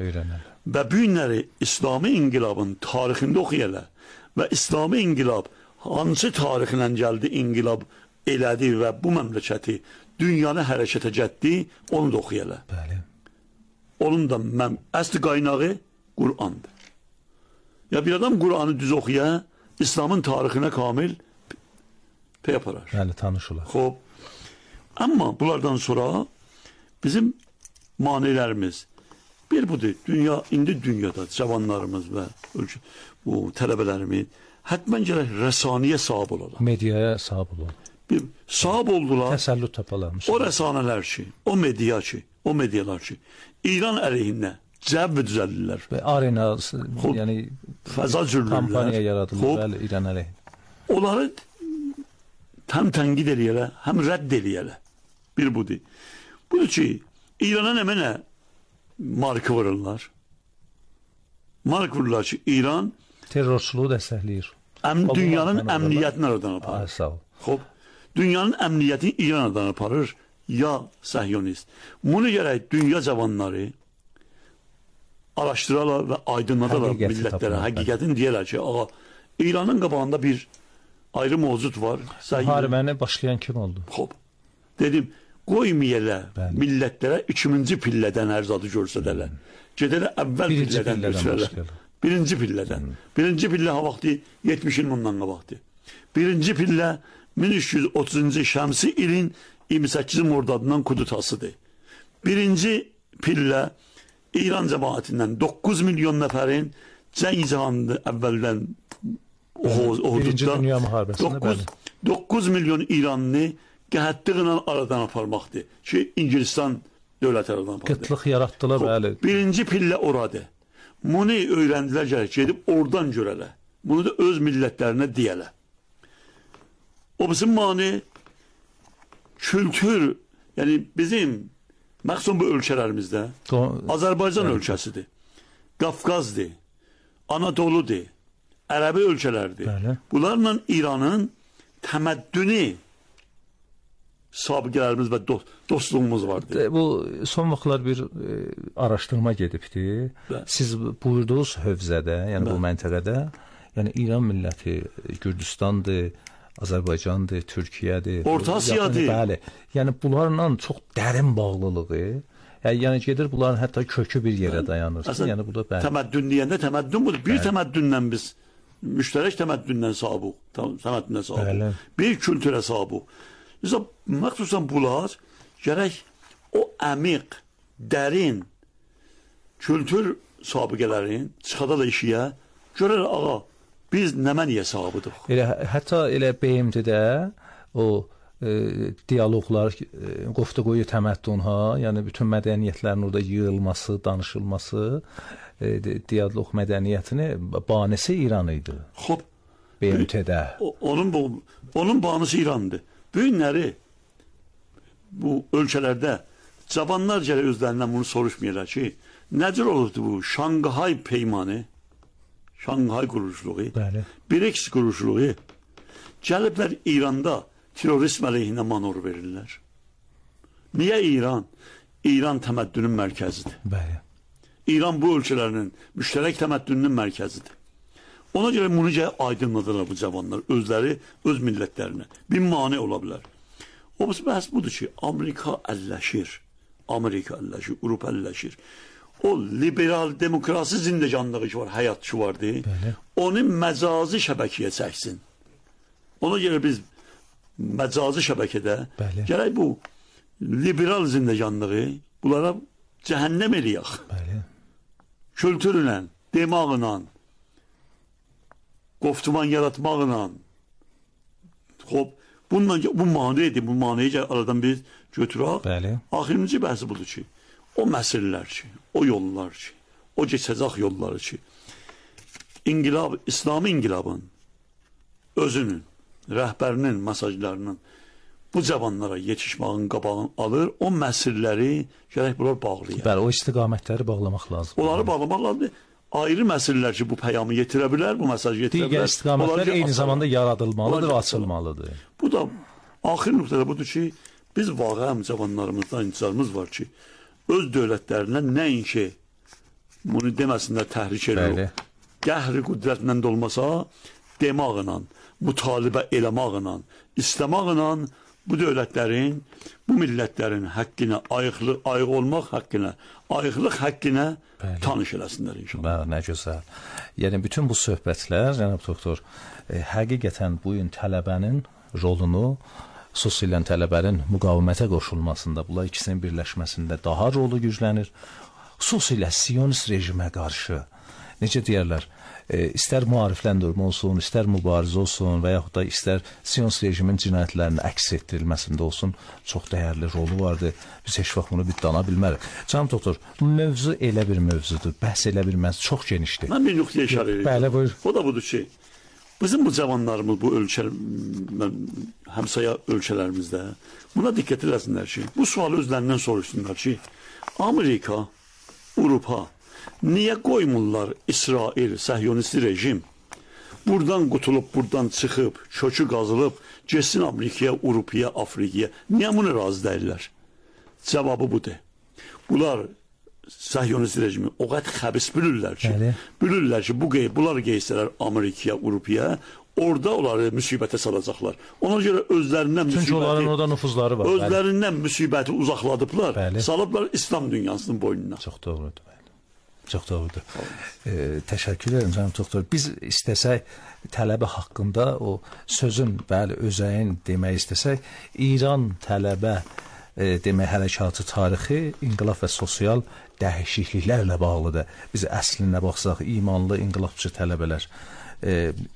öyrənər. Və bu günləri İslami inqilabın tarixində oxuyala və İslami inqilab hansı tarixlə gəldi, inqilab elədi və bu məmləkəti dünyanı hərəkətə cətdi, onu da oxuyala. Bəli. Onun da əsli qaynağı Qur'andır. Ya bir adam Qur'anı düz oxuya, İslamın tarixinə kamil pey aparar. Bəli, tanış olar. Xoş. Amma bunlardan sonra bizim manilərimiz bir budur. İndi dünyada cavanlarımız və bu tələbələrimiz hətmən gərək rəsaniyə sahib olarlar. Mediaya sahib olarlar. Bir sahib oldular. Təsəllüt tapalar. O rəsanələr ki, o medialar ki, İran əleyhinə cəbb düzəldirlər. Və arena, yəni fəza cürlürlər. Kampaniya yaradılır, bəli, İran əleyhinə. Onları həm tənqid eləyələ, həm rədd eləyələ. Bir budur. Budur ki, İrana nə mənə marka vururlar. Marka vururlar ki, İran terrorçuluğu dəstəkləyir. Dünyanın əmniyyətini aradan aparır. Sağ ol. Xoş. Dünyanın əmniyyətini İran aradan aparır, ya səhyonist. Bunu gərək dünya cavanları araşdırarlar və aydınladarlar millətlərə. Həqiqətini deyərlər ki, ağa, İranın qabağında bir ayrı mövcud var. Müharibəni başlayan kim oldu? Xoş. Dedim, qoymayələ millətlərə ikinci pillədən ərzadı görsədələr. Gedələ əvvəl pillədən görsədələr. Birinci pillədən. Birinci pillə ha vaxtı 70 il bundan qabaqdı. Birinci pillə 1330-cu şəmsi ilin 28 mordadından Kudutasıdır. Birinci pillə İran cəmaətindən 9 milyon nəfərin cəng cihanında əvvəldən Birinci Dünya müharibəsində 9 milyon İranlı qəhətliqlə aradan aparmaqdır ki, İngilistan dövləti aradan apardı. Qıtlıq yaratdılar, bəli. Birinci pillə oradır. Bunu öyrəndilər gərək, gedib oradan görələ. Bunu da öz millətlərinə deyələ. O bizim mani kültür, yəni bizim məxsus bu ölkələrimizdə Azərbaycan ölkəsidir, Qafqazdır, Anadoludur, Ərəbi ölkələrdir. Bəli. Bunlarla İranın təməddünü sabiqələrimiz və dostluğumuz vardır. Bu son vaxtlar bir araşdırma gedibdi. Siz buyurduğunuz hövzədə, yəni bu məntəqədə, yəni İran milləti Gürcüstandır, Azərbaycandır, Türkiyədir, Orta Asiyadır. Bəli. Yəni bunlarla çox dərin bağlılığı, yəni gedir bunların hətta kökü bir yerə dayanır. Yəni bu da bəli. Təməddün deyəndə təməddün budur. Bir təməddündən biz müştərək təməddündən sahibiq, təməddündən sahibiq. Bir kültürə sahibiq. Məxsusən bunlar gərək o əmiq, dərin kültür sabiqələrin çıxada da işiyə görər, ağa, biz nəməniyə sahibidik. Hətta elə BMT-də o diyaloqlar, qoftaqoyu təməddün, yəni bütün mədəniyyətlərin orada yığılması, danışılması, diyaloq mədəniyyətini banisi İran idi. Xoş. BMT-də. Onun banisi İrandır. Bu günləri bu ölkələrdə cavanlar gələ özlərindən bunu soruşmayırlar ki, necə olurdu bu Şanghay peymanı, Şanghay quruluşluğu, BRICS quruluşluğu gəliblər İranda terrorizm əleyhinə manor verirlər. Niyə İran? İran təməddünün mərkəzidir. Bəli. İran bu ölkələrinin müştərək təməddününün mərkəzidir. Ona görə bunu aydınladırlar bu cavanlar, özləri, öz millətlərinə. Bir mane ola bilər. O bəhs budur ki, Amerika əlləşir, Avropa əlləşir. O liberal demokrasi zindecanlığı ki var, həyat ki vardır, onu məcazi şəbəkiyə çəksin. Ona görə biz məcazi şəbəkədə gərək bu liberal zindecanlığı bunlara cəhənnəm eləyək. Kültürlə, demağla, qoftuman yaratmaqla, bu manedir, bu maneyi aradan biz götürək. Axırıncı bəhsi budur ki, o məsələlər ki, o yollar ki, o keçəcək yolları ki, İslami inqilabın özünün, rəhbərinin mesajlarının bu cavanlara yetişməyin qabağını alır, o məsələləri gərək bunlar bağlayır. Bəli, o istiqamətləri bağlamaq lazım. Onları bağlamaq lazımdır. Ayrı məsələlər ki, bu peyamı yetirə bilər, bu mesajı yetirə bilər. Digər istiqamətlər eyni zamanda yaradılmalıdır və açılmalıdır. Bu da axır nöqtədə budur ki, biz vaqəəm cavanlarımızdan intizarımız var ki, öz dövlətlərinə nəinki bunu deməsinlər təhrik edir. Qəhri qüdrətlə də olmasa, demaqla, mütalibə eləmaqla, istəmaqla bu dövlətlərin, bu millətlərin haqqına, ayıq olmaq haqqına, ayıqlıq haqqına tanış eləsinlər inşallah. Nə gözəl. Yəni, bütün bu söhbətlər, cənab doktor, həqiqətən bu gün tələbənin rolunu, xüsusilə tələbənin müqavimətə qoşulmasında, bunlar ikisinin birləşməsində daha rolu güclənir. Xüsusilə Siyonist rejimə qarşı, necə deyərlər, istər müarifləndirmə olsun, istər mübarizə olsun və yaxud da istər Siyonist rejimin cinayətlərinin əks etdirilməsində olsun, çox dəyərli rolu vardır. Biz heç vaxt bunu dana bilmərik. Canım doktor, mövzu elə bir mövzudur, bəhs elə bir mövzu, çox genişdir. Mən bir nöqtəyə işarə edeyim. Bəli, buyur. O da budur ki, bizim bu cavanlarımız, bu həmsaya ölkələrimizdə buna diqqət eləsinlər ki, bu sualı özlərindən soruşsunlar ki, Amerika, Avropa niyə qoymurlar İsrail, səhyonisti rejim buradan qutulub, buradan çıxıb, kökü qazılıb, getsin Amerikaya, Avropaya, Afrikaya? Niyə bunu razı deyirlər? Cavabı budur. Bunlar səhyonisti rejimi o qədər xəbis bilirlər ki, bunlar geysələr Amerikaya, Avropaya, orada onları müsibətə salacaqlar. Ona görə özlərindən çünki onların orada nüfuzları var. Özlərindən müsibəti uzaqladıblar, salıblar İslam dünyasının boynuna. Çox doğrudur. Çox doğrudur. Təşəkkür edirəm, cənab doktor. Biz istəsək, tələbə haqqında o sözün, bəli, özəyin demək istəsək, İran tələbə demək hərəkatı tarixi, inqilab və sosial dəyişikliklərlə bağlıdır. Biz əslinə baxsaq, imanlı inqilabçı tələbələr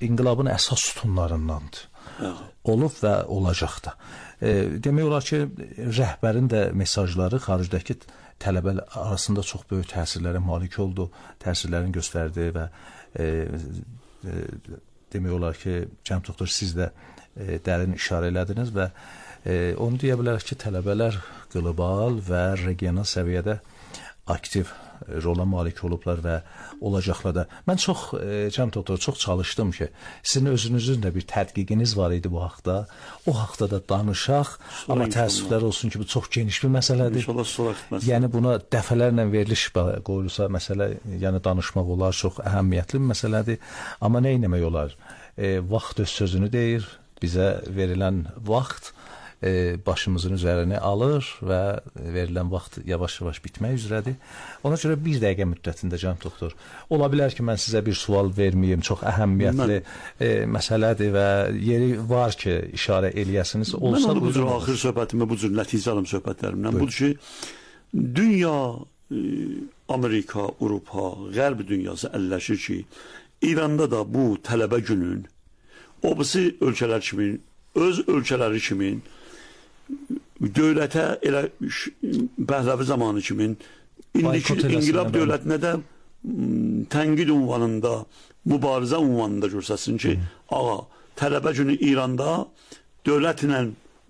inqilabın əsas sütunlarındandır. Olub və olacaq da. Demək olar ki, rəhbərin də mesajları xaricdəki tələbələr arasında çox böyük təsirlərə malik oldu, təsirlərini göstərdi və demək olar ki, cənab doktor, siz də dərin işarə elədiniz və onu deyə bilərik ki, tələbələr qlobal və regional səviyyədə aktiv rola malik olublar və olacaqlar da. Mən çox, cənab doktor, çox çalışdım ki, sizin özünüzün də bir tədqiqiniz var idi bu haqda. O haqda da danışaq, amma təəssüflər olsun ki, bu çox geniş bir məsələdir. Yəni, buna dəfələrlə veriliş qoyulsa məsələ, yəni danışmaq olar, çox əhəmiyyətli bir məsələdir. Amma nə etmək olar? Vaxt öz sözünü deyir, bizə verilən vaxt başımızın üzərini alır və verilən vaxt yavaş-yavaş bitmək üzrədir. Ona görə bir dəqiqə müddətində, cənab doktor, ola bilər ki, mən sizə bir sual verməyim, çox əhəmiyyətli məsələdir və yeri var ki, işarə eləyəsiniz. Mən onu bu cür axır söhbətimə, bu cür nəticə alım söhbətlərimdən. Budur ki, dünya, Amerika, Avropa, Qərb dünyası əlləşir ki, İranda da bu tələbə günün, o birisi ölkələr kimi, öz ölkələri kimi, dövlətə elə Pəhləvi zamanı kimi indiki inqilab dövlətinə də tənqid ünvanında, mübarizə ünvanında görsəsin ki, ağa, tələbə günü İranda dövlətlə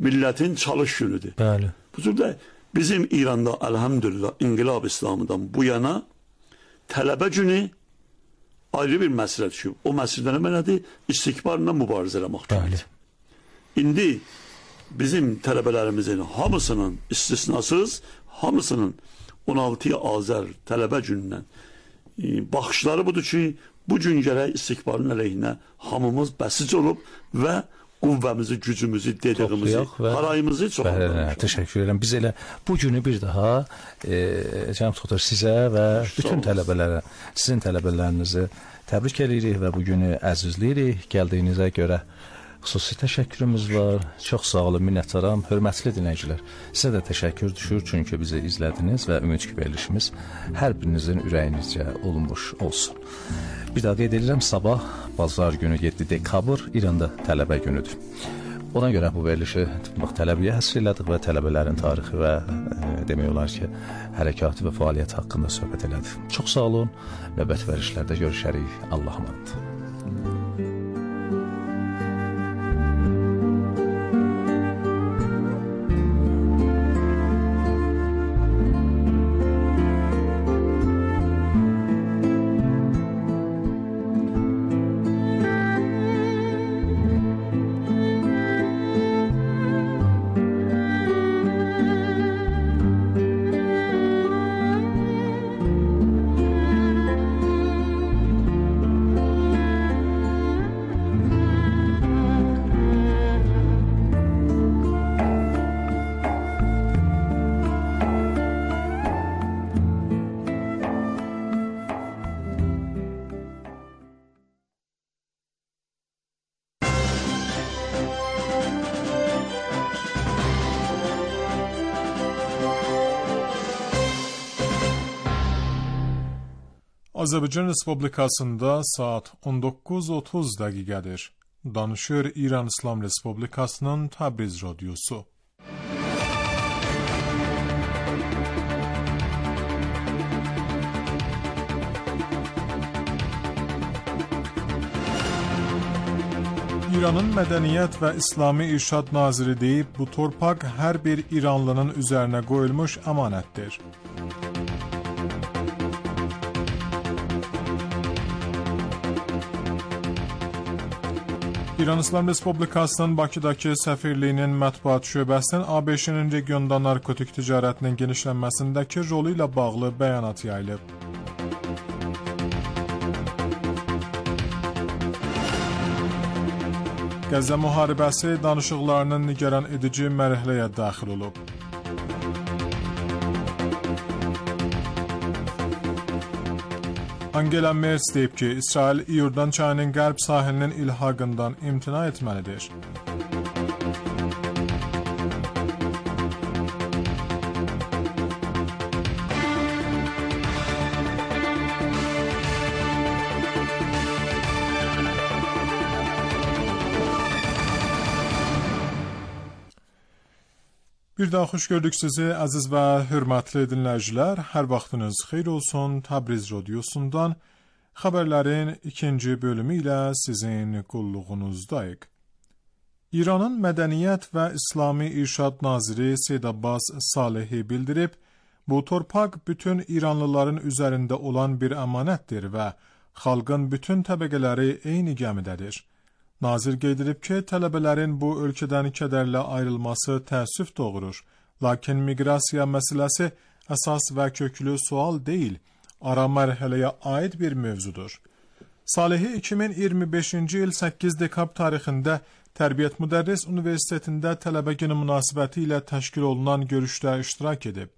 millətin çalış günüdür. Bəli. Bu cürdə bizim İranda əlhəmdülillah inqilab İslamıdan bu yana tələbə günü ayrı bir məsələdir ki, o məsələdə nə mənadır? İstikbarla mübarizə eləmək deməkdir. İndi bizim tələbələrimizin hamısının istisnasız, hamısının 16 Azər tələbə günündən baxışları budur ki, bu gün gərək istikbarın əleyhinə hamımız bəsiz olub və qüvvəmizi, gücümüzü, dediyimizi, parayımızı çoxaltmalıyıq. Təşəkkür edirəm. Biz elə bu günü bir daha cənab doktor, sizə və bütün tələbələrə, sizin tələbələrinizi təbrik edirik və bu günü əzizləyirik. Gəldiyinizə görə xüsusi təşəkkürümüz var. Çox sağ olun, minnətdaram. Hörmətli dinləyicilər, sizə də təşəkkür düşür, çünki bizi izlədiniz və ümid ki, verilişimiz hər birinizin ürəyinizcə olunmuş olsun. Bir daha qeyd edirəm, sabah bazar günü 7 dekabr İranda tələbə günüdür. Ona görə bu verilişi tələbəyə həsr elədik və tələbələrin tarixi və demək olar ki, hərəkatı və fəaliyyət haqqında söhbət elədik. Çox sağ olun, növbəti verilişlərdə görüşərik. Allah'a emanet. Azərbaycan Respublikasında saat 19:30 dəqiqədir. Danışır İran İslam Respublikasının Təbriz radiosu. İranın Mədəniyyət və İslami İrşad Naziri deyib, bu torpaq hər bir İranlının üzərinə qoyulmuş əmanətdir. İran İslam Respublikasının Bakıdakı səfirliyinin mətbuat şöbəsinin ABŞ-nin regionda narkotik ticarətinin genişlənməsindəki rolu ilə bağlı bəyanat yayılıb. Qəzza müharibəsi danışıqlarının nigaran edici mərhələyə daxil olub. Angela Merkel deyib ki, İsrail İordan çayının qərb sahilinin ilhaqından imtina etməlidir. Bir daha xoş gördük sizi əziz və hörmətli dinləyicilər. Hər vaxtınız xeyir olsun. Təbriz radiosundan xəbərlərin ikinci bölümü ilə sizin qulluğunuzdayıq. İranın Mədəniyyət və İslami İrşad Naziri Seyyid Abbas Salehi bildirib, bu torpaq bütün İranlıların üzərində olan bir əmanətdir və xalqın bütün təbəqələri eyni gəmidədir. Nazir qeyd edib ki, tələbələrin bu ölkədən kədərlə ayrılması təəssüf doğurur. Lakin miqrasiya məsələsi əsas və köklü sual deyil, ara mərhələyə aid bir mövzudur. Salehi 2025-ci il 8 dekabr tarixində Tərbiyyət Müdərris Universitetində tələbə günü münasibəti ilə təşkil olunan görüşdə iştirak edib.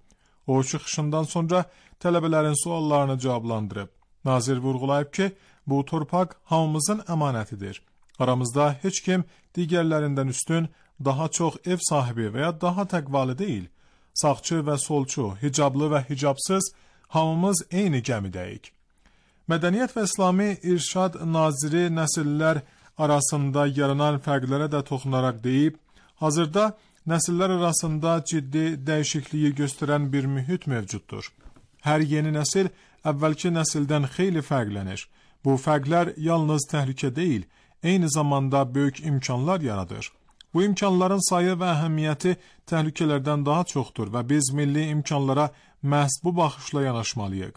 O çıxışından sonra tələbələrin suallarını cavablandırıb. Nazir vurğulayıb ki, bu torpaq hamımızın əmanətidir. Aramızda heç kim digərlərindən üstün, daha çox ev sahibi və ya daha təqvalı deyil. Sağçı və solçu, hicablı və hicabsız, hamımız eyni gəmidəyik. Mədəniyyət və İslami İrşad Naziri nəsillər arasında yaranan fərqlərə də toxunaraq deyib, hazırda nəsillər arasında ciddi dəyişikliyi göstərən bir mühit mövcuddur. Hər yeni nəsil əvvəlki nəsildən xeyli fərqlənir. Bu fərqlər yalnız təhlükə deyil, eyni zamanda böyük imkanlar yaradır. Bu imkanların sayı və əhəmiyyəti təhlükələrdən daha çoxdur və biz milli imkanlara məhz bu baxışla yanaşmalıyıq.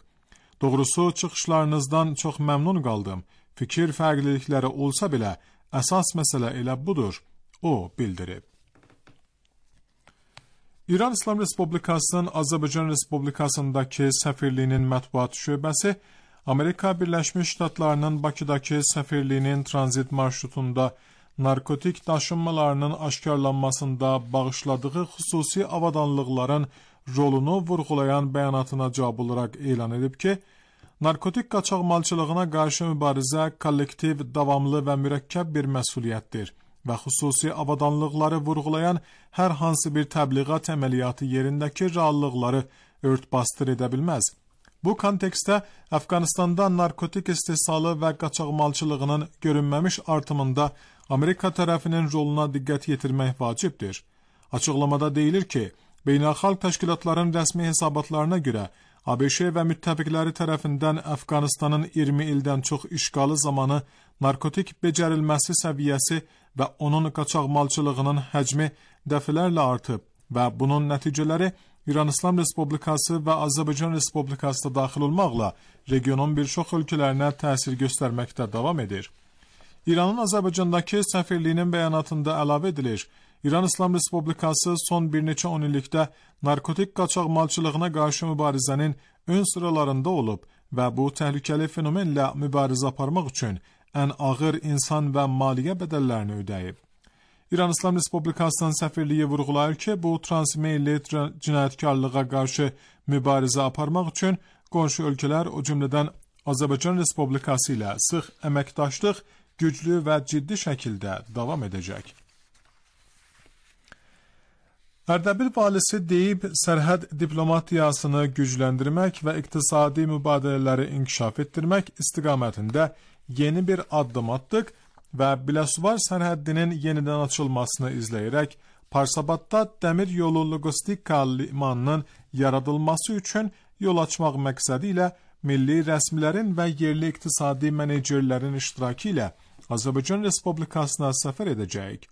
Doğrusu, çıxışlarınızdan çox məmnun qaldım. Fikir fərqlilikləri olsa belə, əsas məsələ elə budur, o bildirib. İran İslam Respublikasının Azərbaycan Respublikasındakı səfirliyinin mətbuat şöbəsi, Amerika Birləşmiş Ştatlarının Bakıdakı səfirliyinin tranzit marşrutunda narkotik daşınmalarının aşkarlanmasında bağışladığı xüsusi avadanlıqların rolunu vurğulayan bəyanatına cavab olaraq elan edib ki, narkotik qaçaqmalçılığına qarşı mübarizə kollektiv, davamlı və mürəkkəb bir məsuliyyətdir və xüsusi avadanlıqları vurğulayan hər hansı bir təbliğat əməliyyatı yerindəki reallıqları örtbasdır edə bilməz. Bu kontekstdə Əfqanistanda narkotik istehsalı və qaçaqmalçılığının görünməmiş artımında Amerika tərəfinin roluna diqqət yetirmək vacibdir. Açıqlamada deyilir ki, beynəlxalq təşkilatların rəsmi hesabatlarına görə ABŞ və müttəfiqləri tərəfindən Əfqanistanın 20 ildən çox işğalı zamanı narkotik becərilməsi səviyyəsi və onun qaçaqmalçılığının həcmi dəfələrlə artıb və bunun nəticələri İran İslam Respublikası və Azərbaycan Respublikası da daxil olmaqla regionun bir çox ölkələrinə təsir göstərməkdə davam edir. İranın Azərbaycandakı səfirliyinin bəyanatında əlavə edilir, İran İslam Respublikası son bir neçə 10 illikdə narkotik qaçaqmalçılığına qarşı mübarizənin ön sıralarında olub və bu təhlükəli fenomenlə mübarizə aparmaq üçün ən ağır insan və maliyyə bədəllərini ödəyib. İran İslam Respublikasının səfirliyi vurğulayır ki, bu transmeyilli cinayətkarlığa qarşı mübarizə aparmaq üçün qonşu ölkələr, o cümlədən Azərbaycan Respublikası ilə sıx əməkdaşlıq güclü və ciddi şəkildə davam edəcək. Ərdəbil valisi deyib, sərhəd diplomatiyasını gücləndirmək və iqtisadi mübadilələri inkişaf etdirmək istiqamətində yeni bir addım atdıq və Biləsuvar sərhəddinin yenidən açılmasını izləyərək Parsabadda dəmir yolu logistika limanının yaradılması üçün yol açmaq məqsədi ilə milli rəsmilərin və yerli iqtisadi menecerlərin iştirakı ilə Azərbaycan Respublikasına səfər edəcəyik.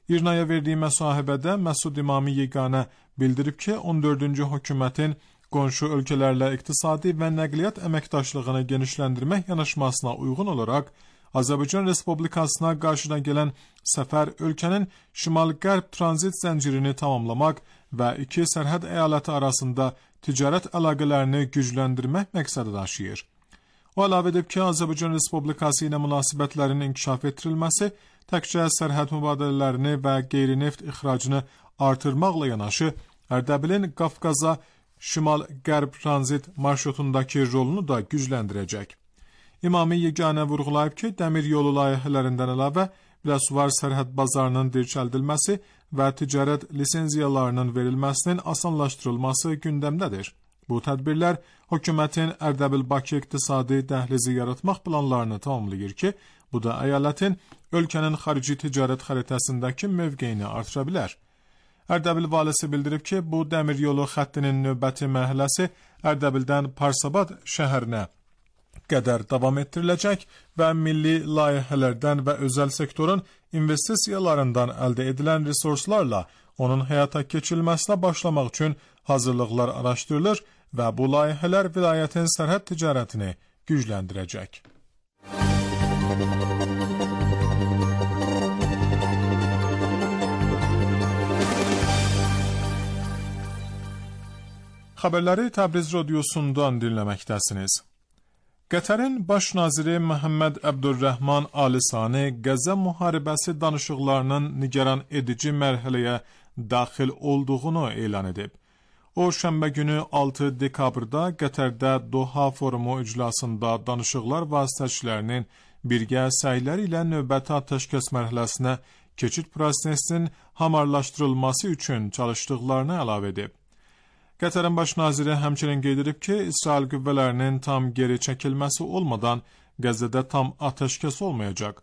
İrnaya verdiyi müsahibədə Məsud İmami Yeganə bildirib ki, 14-cü hökumətin qonşu ölkələrlə iqtisadi və nəqliyyat əməkdaşlığını genişləndirmək yanaşmasına uyğun olaraq Azərbaycan Respublikasına qarşıdan gələn səfər ölkənin şimal-qərb tranzit zəncirini tamamlamaq və iki sərhəd əyaləti arasında ticarət əlaqələrini gücləndirmək məqsədi daşıyır. O əlavə edib ki, Azərbaycan Respublikası ilə münasibətlərin inkişaf etdirilməsi təkcə sərhəd mübadilələrini və qeyri-neft ixracını artırmaqla yanaşı, Ərdəbilin Qafqaza şimal-qərb tranzit marşrutundakı rolunu da gücləndirəcək. İmami Yeganə vurğulayıb ki, dəmir yolu layihələrindən əlavə Biləsuvar sərhəd bazarının dirçəldilməsi və ticarət lisenziyalarının verilməsinin asanlaşdırılması gündəmdədir. Bu tədbirlər hökumətin Ərdəbil-Bakı iqtisadi dəhlizi yaratmaq planlarını tamamlayır ki, bu da əyalətin ölkənin xarici ticarət xəritəsindəki mövqeyini artıra bilər. Ərdəbil valisi bildirib ki, bu dəmir yolu xəttinin növbəti mərhələsi Ərdəbildən Parsabad şəhərinə qədər davam etdiriləcək və milli layihələrdən və özəl sektorun investisiyalarından əldə edilən resurslarla onun həyata keçirilməsinə başlamaq üçün hazırlıqlar araşdırılır və bu layihələr vilayətin sərhəd ticarətini gücləndirəcək. Xəbərləri Təbriz radiosundan dinləməkdəsiniz. Qətərin baş naziri Məhəmməd Əbdurrəhman Alisani Qəzza müharibəsi danışıqlarının nigaran edici mərhələyə daxil olduğunu elan edib. O, şənbə günü 6 dekabrda Qətərdə Doha forumu iclasında danışıqlar vasitəçilərinin birgə səyləri ilə növbəti atəşkəs mərhələsinə keçid prosesinin hamarlaşdırılması üçün çalışdıqlarını əlavə edib. Qətərin baş naziri həmçinin qeyd edib ki, İsrail qüvvələrinin tam geri çəkilməsi olmadan Qəzzədə tam atəşkəs olmayacaq.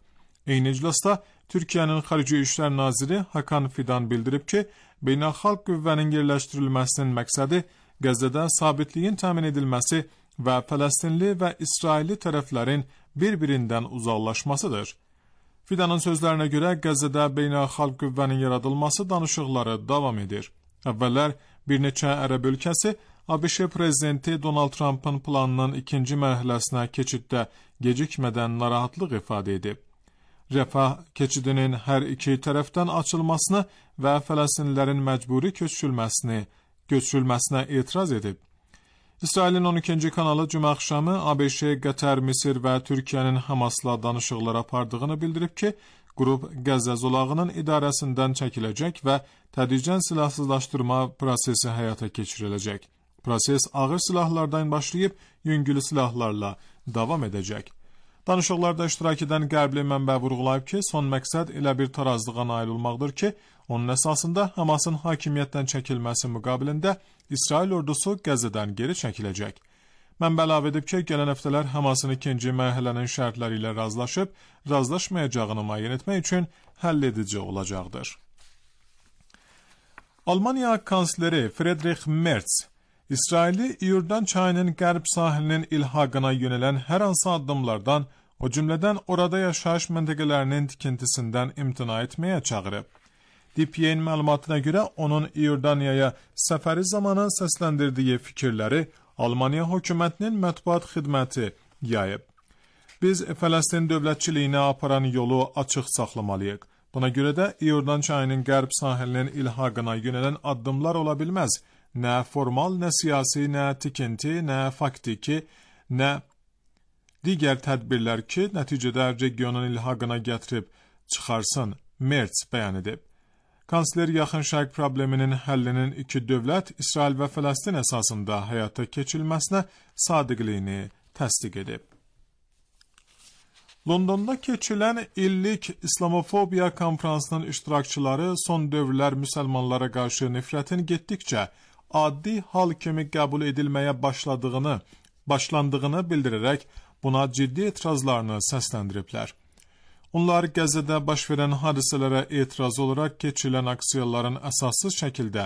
Eyni iclasda Türkiyənin Xarici İşlər naziri Hakan Fidan bildirib ki, beynəlxalq qüvvənin yerləşdirilməsinin məqsədi Qəzzədə sabitliyin təmin edilməsi və Fələstinli və İsrailli tərəflərin bir-birindən uzaqlaşmasıdır. Fidanın sözlərinə görə Qəzzədə beynəlxalq qüvvənin yaradılması danışıqları davam edir. Əvvəllər bir neçə ərəb ölkəsi ABŞ prezidenti Donald Trump'ın planının ikinci mərhələsinə keçiddə gecikmədən narahatlıq ifadə edib. Rəfah keçidinin hər iki tərəfdən açılmasını və Fələstinlilərin məcburi köçürülməsinə etiraz edib. İsrailin 12-ci kanalı cümə axşamı ABŞ, Qətər, Misir və Türkiyənin Hamasla danışıqlar apardığını bildirib ki, qrup Qəzza zolağının idarəsindən çəkiləcək və tədricən silahsızlaşdırma prosesi həyata keçiriləcək. Proses ağır silahlardan başlayıb yüngül silahlarla davam edəcək. Danışıqlarda iştirak edən qərbli mənbə vurğulayıb ki, son məqsəd elə bir tarazlığa nail olmaqdır ki, onun əsasında Hamasın hakimiyyətdən çəkilməsi müqabilində İsrail ordusu Qəzzədən geri çəkiləcək. Mənbə əlavə edib ki, gələn həftələr Hamasın ikinci mərhələnin şərtləri ilə razılaşıb, razılaşmayacağını müəyyən etmək üçün həll edici olacaqdır. Almaniya kansleri Friedrich Merz, İsraili İordan çayının qərb sahilinin ilhaqına yönələn hər hansı addımlardan, o cümlədən orada yaşayış məntəqələrinin tikintisindən imtina etməyə çağırıb. DPA-nin məlumatına görə onun İordaniyaya səfəri zamanı səsləndirdiyi fikirləri Almaniya hökumətinin mətbuat xidməti yayıb. Biz Fələstin dövlətçiliyinə aparan yolu açıq saxlamalıyıq. Buna görə də İordan çayının qərb sahilinin ilhaqına yönələn addımlar ola bilməz. Nə formal, nə siyasi, nə tikinti, nə faktiki, nə digər tədbirlər ki, nəticədə regionun ilhaqına gətirib çıxarsın, Merz bəyan edib. Kansler Yaxın Şərq probleminin həllinin iki dövlət, İsrail və Fələstin əsasında həyata keçirilməsinə sadiqliyini təsdiq edib. Londonda keçirilən illik İslamofobiya konferansının iştirakçıları son dövrlər müsəlmanlara qarşı nifrətin getdikcə addi hal kimi qəbul edilməyə başlandığını bildirərək buna ciddi etirazlarını səsləndiriblər. Onlar Qəzzədə baş verən hadisələrə etiraz olaraq keçirilən aksiyaların əsassız şəkildə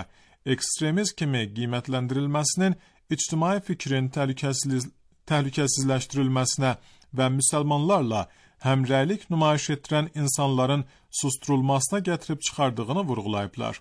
ekstremizm kimi qiymətləndirilməsinin ictimai fikrin təhlükəsizləşdirilməsinə və müsəlmanlarla həmrəylik nümayiş etdirən insanların susturulmasına gətirib çıxardığını vurğulayıblar.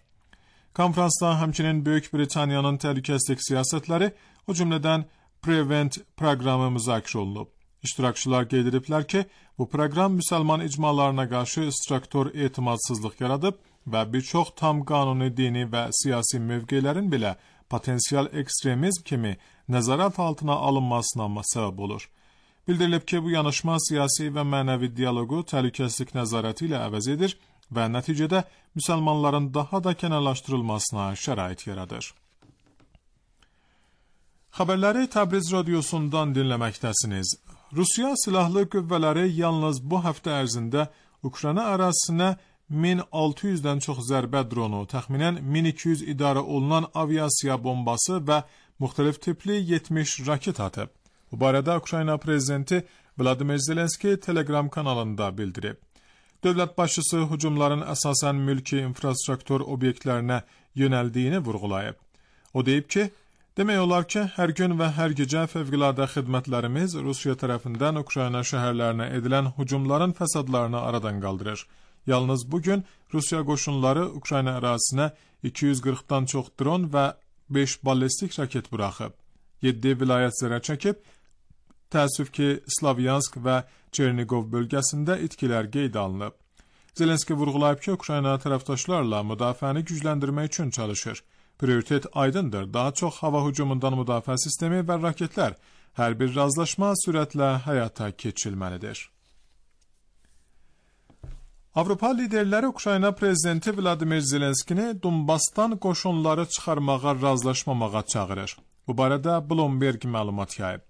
Konferansda həmçinin Böyük Britaniyanın təhlükəsizlik siyasətləri, o cümlədən Prevent proqramı müzakirə olunub. İştirakçılar qeyd ediblər ki, bu proqram müsəlman icmalarına qarşı istraktor etimadsızlıq yaradıb və bir çox tam qanuni dini və siyasi mövqelərin belə potensial ekstremizm kimi nəzarət altına alınmasına səbəb olur. Bildirilib ki, bu yanaşma siyasi və mənəvi dialoqu təhlükəsizlik nəzarəti ilə əvəz edir və nəticədə müsəlmanların daha da kənarlaşdırılmasına şərait yaradır. Xəbərləri Təbriz radiosundan dinləməkdəsiniz. Rusiya silahlı qüvvələri yalnız bu həftə ərzində Ukrayna ərazisinə 1600-dən çox zərbə dronu, təxminən 1200 idarə olunan aviasiya bombası və müxtəlif tipli 70 raket atıb. Bu barədə Ukrayna prezidenti Vladimir Zelenski Telegram kanalında bildirib. Dövlət başçısı hücumların əsasən mülki infrastruktur obyektlərinə yönəldiyini vurğulayıb. O deyib ki, demək olar ki, hər gün və hər gecə fövqəladə xidmətlərimiz Rusiya tərəfindən Ukrayna şəhərlərinə edilən hücumların fəsadlarını aradan qaldırır. Yalnız bugün Rusiya qoşunları Ukrayna ərazisinə 240-dan çox dron və 5 ballistik raket buraxıb. 7 vilayət zərər çəkib, təəssüf ki, Slavyansk və Çernigov bölgəsində itkilər qeyd alınıb. Zelenski vurğulayıb ki, Ukrayna tərəfdaşlarla müdafiəni gücləndirmək üçün çalışır. Prioritet aydındır, daha çox hava hücumundan müdafiə sistemi və raketlər. Hər bir razılaşma sürətlə həyata keçirilməlidir. Avropa liderləri Ukrayna prezidenti Vladimir Zelenskini Donbasdan qoşunları çıxarmağa razılaşmamağa çağırır. Bu barədə Bloomberg məlumat yayıb.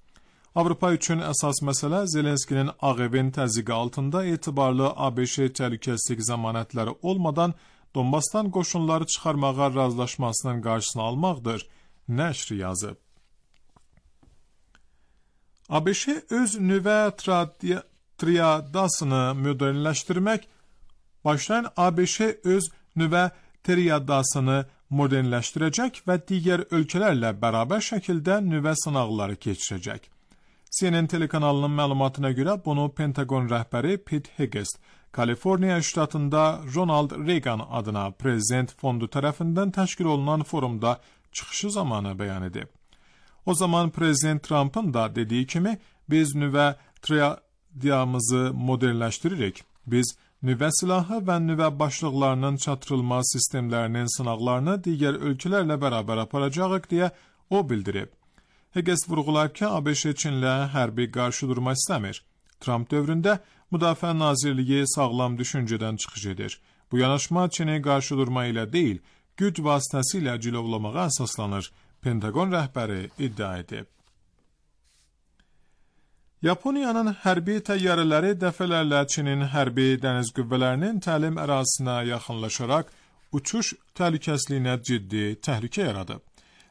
Avropa üçün əsas məsələ Zelenskinin Ağ Evin təzyiqi altında etibarlı ABŞ təhlükəsizlik zəmanətləri olmadan Donbasdan qoşunları çıxarmağa razılaşmasının qarşısını almaqdır, nəşr yazıb. ABŞ öz nüvə triadasını modernləşdirmək, başlayan ABŞ öz nüvə triadasını modernləşdirəcək və digər ölkələrlə bərabər şəkildə nüvə sınaqları keçirəcək. CNN telekanalının məlumatına görə bunu Pentagon rəhbəri Pete Hegseth, Kaliforniya ştatında Ronald Reagan adına prezident fondu tərəfindən təşkil olunan forumda çıxışı zamanı bəyan edib. O zaman prezident Trump'ın da dediyi kimi, biz nüvə triadamızı modernləşdiririk. Biz nüvə silahı və nüvə başlıqlarının çatdırılma sistemlərinin sınaqlarını digər ölkələrlə bərabər aparacağıq deyə o bildirib. Hegseth vurğulayıb ki, ABŞ Çinlə hərbi qarşı durma istəmir. Trump dövründə Müdafiə Nazirliyi sağlam düşüncədən çıxış edir. Bu yanaşma Çinə qarşı durma ilə deyil, güc vasitəsilə cilovlamağa əsaslanır, Pentagon rəhbəri iddia edib. Yaponiyanın hərbi təyyarələri dəfələrlə Çinin hərbi dəniz qüvvələrinin təlim ərazisinə yaxınlaşaraq uçuş təhlükəsizliyinə ciddi təhlükə yaradıb.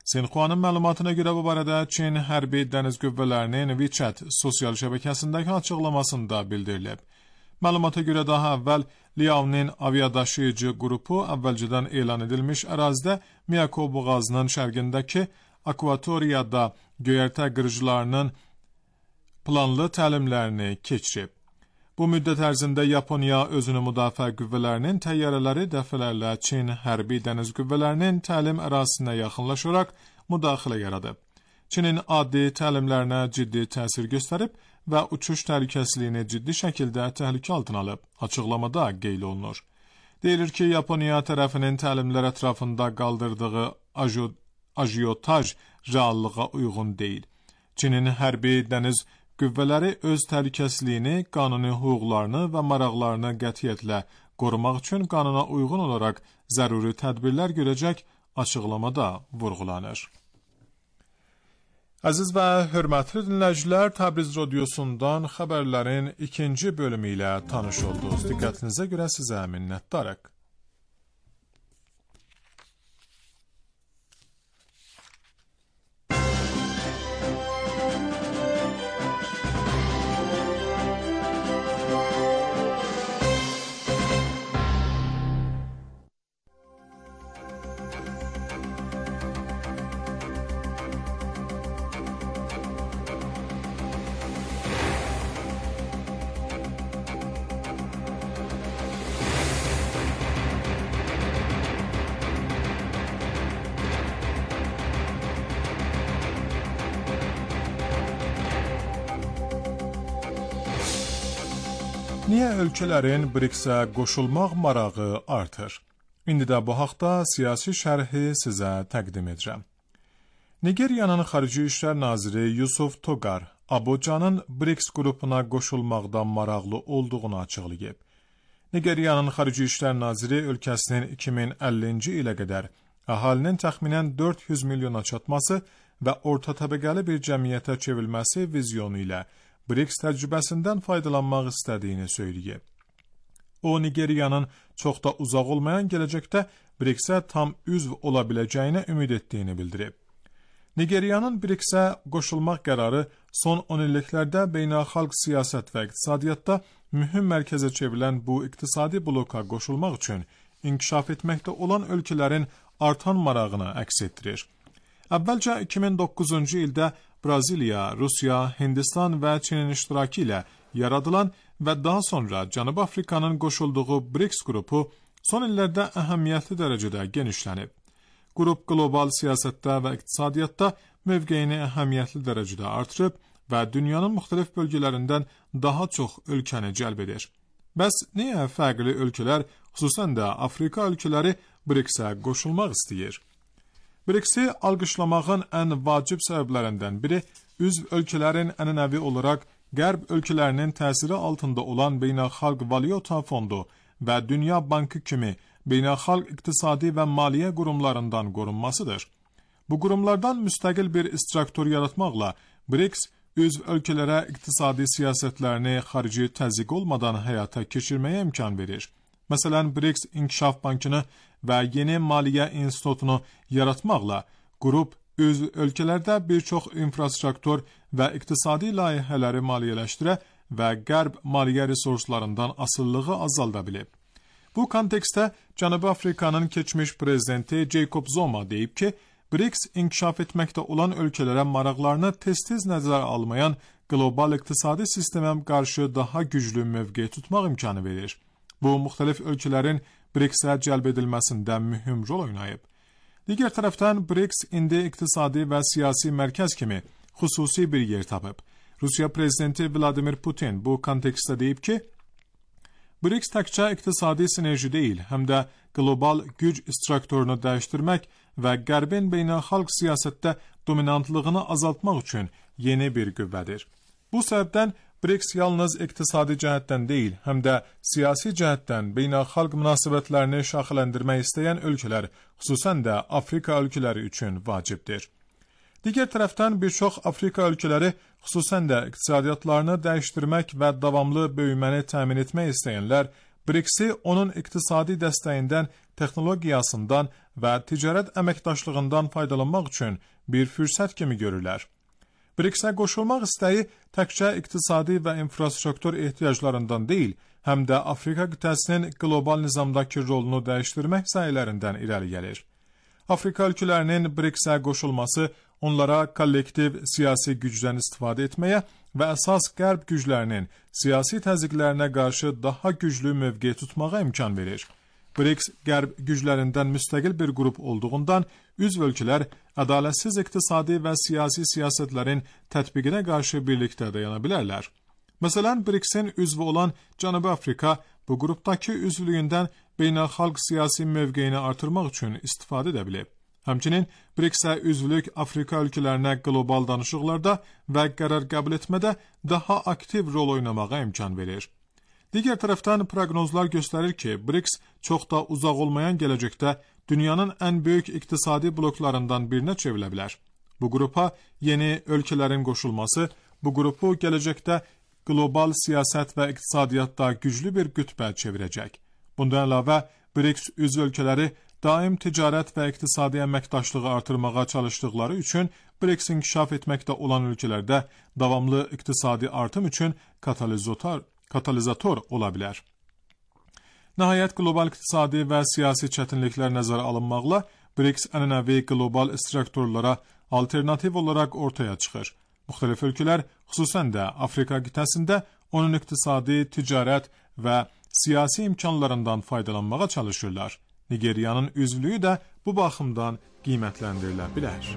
Sinxuanın məlumatına görə bu barədə Çin hərbi dəniz qüvvələrinin WeChat sosial şəbəkəsindəki açıqlamasında bildirilib. Məlumata görə daha əvvəl Liaoning aviadaşıyıcı qrupu əvvəlcədən elan edilmiş ərazidə Miyako boğazının şərqindəki akvatoriyada göyərtə qırıcılarının planlı təlimlərini keçirib. Bu müddət ərzində Yaponiya özünü müdafiə qüvvələrinin təyyarələri dəfələrlə Çin hərbi dəniz qüvvələrinin təlim ərazisinə yaxınlaşaraq müdaxilə yaradıb. Çinin addi təlimlərinə ciddi təsir göstərib və uçuş təhlükəsizliyini ciddi şəkildə təhlükə altına alıb, açıqlamada qeyd olunur. Deyilir ki, Yaponiya tərəfinin təlimlər ətrafında qaldırdığı ajiyotaj reallığa uyğun deyil. Çinin hərbi dəniz qüvvələri öz təhlükəsizliyini, qanuni hüquqlarını və maraqlarını qətiyyətlə qorumaq üçün qanuna uyğun olaraq zəruri tədbirlər görəcək açıqlamada vurğulanır. Aziz və hörmətli dinləyicilər, Təbriz Radiosundan xəbərlərin ikinci bölümü ilə tanış oldunuz. Diqqətinizə görə sizə minnətdarıq. Niyə ölkələrin BRICS-ə qoşulmaq marağı artır? İndi də bu haqda siyasi şərhi sizə təqdim edirəm. Nigeriyanın Xarici İşlər Naziri Yusuf Togar, Abujanın BRICS qrupuna qoşulmaqdan maraqlı olduğunu açıqlayıb. Nigeriyanın Xarici İşlər Naziri ölkəsinin 2050-ci ilə qədər əhalinin təxminən 400 milyona çatması və orta təbəqəli bir cəmiyyətə çevrilməsi vizyonu ilə BRICS təcrübəsindən faydalanmaq istədiyini söyləyib. O, Nigeriyanın çox da uzaq olmayan gələcəkdə BRICS-ə tam üzv ola biləcəyinə ümid etdiyini bildirib. Nigeriyanın BRICS-ə qoşulmaq qərarı son 10 illiklərdə beynəlxalq siyasət və iqtisadiyyatda mühüm mərkəzə çevrilən bu iqtisadi bloka qoşulmaq üçün inkişaf etməkdə olan ölkələrin artan marağını əks etdirir. Əvvəlcə 2009-cu ildə Braziliya, Rusiya, Hindistan və Çinin iştirakı ilə yaradılan və daha sonra Cənubi Afrikanın qoşulduğu BRICS qrupu son illərdə əhəmiyyətli dərəcədə genişlənib. Qrup qlobal siyasətdə və iqtisadiyyatda mövqeyini əhəmiyyətli dərəcədə artırıb və dünyanın müxtəlif bölgələrindən daha çox ölkəni cəlb edir. Bəs niyə fərqli ölkələr, xüsusən də Afrika ölkələri BRICS-ə qoşulmaq istəyir? BRICS-i alqışlamağın ən vacib səbəblərindən biri üzv ölkələrin ənənəvi olaraq Qərb ölkələrinin təsiri altında olan Beynəlxalq Valyuta Fondu və Dünya Bankı kimi beynəlxalq iqtisadi və maliyyə qurumlarından qorunmasıdır. Bu qurumlardan müstəqil bir struktur yaratmaqla BRICS üzv ölkələrə iqtisadi siyasətlərini xarici təzyiq olmadan həyata keçirməyə imkan verir. Məsələn, BRICS İnkişaf Bankını və yeni maliyyə institutunu yaratmaqla qrup üzv ölkələrdə bir çox infrastruktur və iqtisadi layihələri maliyyələşdirə və qərb maliyyə resurslarından asılılığı azalda bilib. Bu kontekstdə Cənubi Afrikanın keçmiş prezidenti Jacob Zuma deyib ki, BRICS inkişaf etməkdə olan ölkələrə maraqlarını tez-tez nəzərə almayan qlobal iqtisadi sistemə qarşı daha güclü mövqe tutmaq imkanı verir. Bu, müxtəlif ölkələrin BRICS-ə cəlb edilməsində mühüm rol oynayıb. Digər tərəfdən, BRICS indi iqtisadi və siyasi mərkəz kimi xüsusi bir yer tapıb. Rusiya prezidenti Vladimir Putin bu kontekstdə deyib ki, BRICS təkcə iqtisadi sinerji deyil, həm də qlobal güc strukturunu dəyişdirmək və Qərbin beynəlxalq siyasətdə dominantlığını azaltmaq üçün yeni bir qüvvədir. Bu səbəbdən BRICS yalnız iqtisadi cəhətdən deyil, həm də siyasi cəhətdən beynəlxalq münasibətlərini şaxələndirmək istəyən ölkələr, xüsusən də Afrika ölkələri üçün vacibdir. Digər tərəfdən bir çox Afrika ölkələri, xüsusən də iqtisadiyyatlarını dəyişdirmək və davamlı böyüməni təmin etmək istəyənlər, BRICS-i onun iqtisadi dəstəyindən, texnologiyasından və ticarət əməkdaşlığından faydalanmaq üçün bir fürsət kimi görürlər. BRICS-ə qoşulmaq istəyi təkcə iqtisadi və infrastruktur ehtiyaclarından deyil, həm də Afrika qitəsinin qlobal nizamdakı rolunu dəyişdirmək səylərindən irəli gəlir. Afrika ölkələrinin BRICS-ə qoşulması onlara kollektiv siyasi gücdən istifadə etməyə və əsas qərb güclərinin siyasi təzyiqlərinə qarşı daha güclü mövqe tutmağa imkan verir. BRICS qərb güclərindən müstəqil bir qrup olduğundan üzv ölkələr ədalətsiz iqtisadi və siyasi siyasətlərin tətbiqinə qarşı birlikdə dayana bilərlər. Məsələn, BRICS-in üzvü olan Cənubi Afrika bu qrupdakı üzvlüyündən beynəlxalq siyasi mövqeyini artırmaq üçün istifadə edə bilib. Həmçinin BRICS-ə üzvlük Afrika ölkələrinə qlobal danışıqlarda və qərar qəbul etmədə daha aktiv rol oynamağa imkan verir. Digər tərəfdən proqnozlar göstərir ki, BRICS çox da uzaq olmayan gələcəkdə dünyanın ən böyük iqtisadi bloklarından birinə çevrilə bilər. Bu qrupa yeni ölkələrin qoşulması bu qrupu gələcəkdə global siyasət və iqtisadiyyatda güclü bir qütbə çevirəcək. Bundan əlavə, BRICS üzv ölkələri daim ticarət və iqtisadi əməkdaşlığı artırmağa çalışdıqları üçün BRICS inkişaf etməkdə olan ölkələrdə davamlı iqtisadi artım üçün katalizator ola bilər. Nəhayət, global iqtisadi və siyasi çətinliklər nəzərə alınmaqla BRICS ənənəvi global strukturlara alternativ olaraq ortaya çıxır. Müxtəlif ölkələr, xüsusən də Afrika qitəsində onun iqtisadi, ticarət və siyasi imkanlarından faydalanmağa çalışırlar. Nigeriyanın üzvlüyü də bu baxımdan qiymətləndirilə bilər.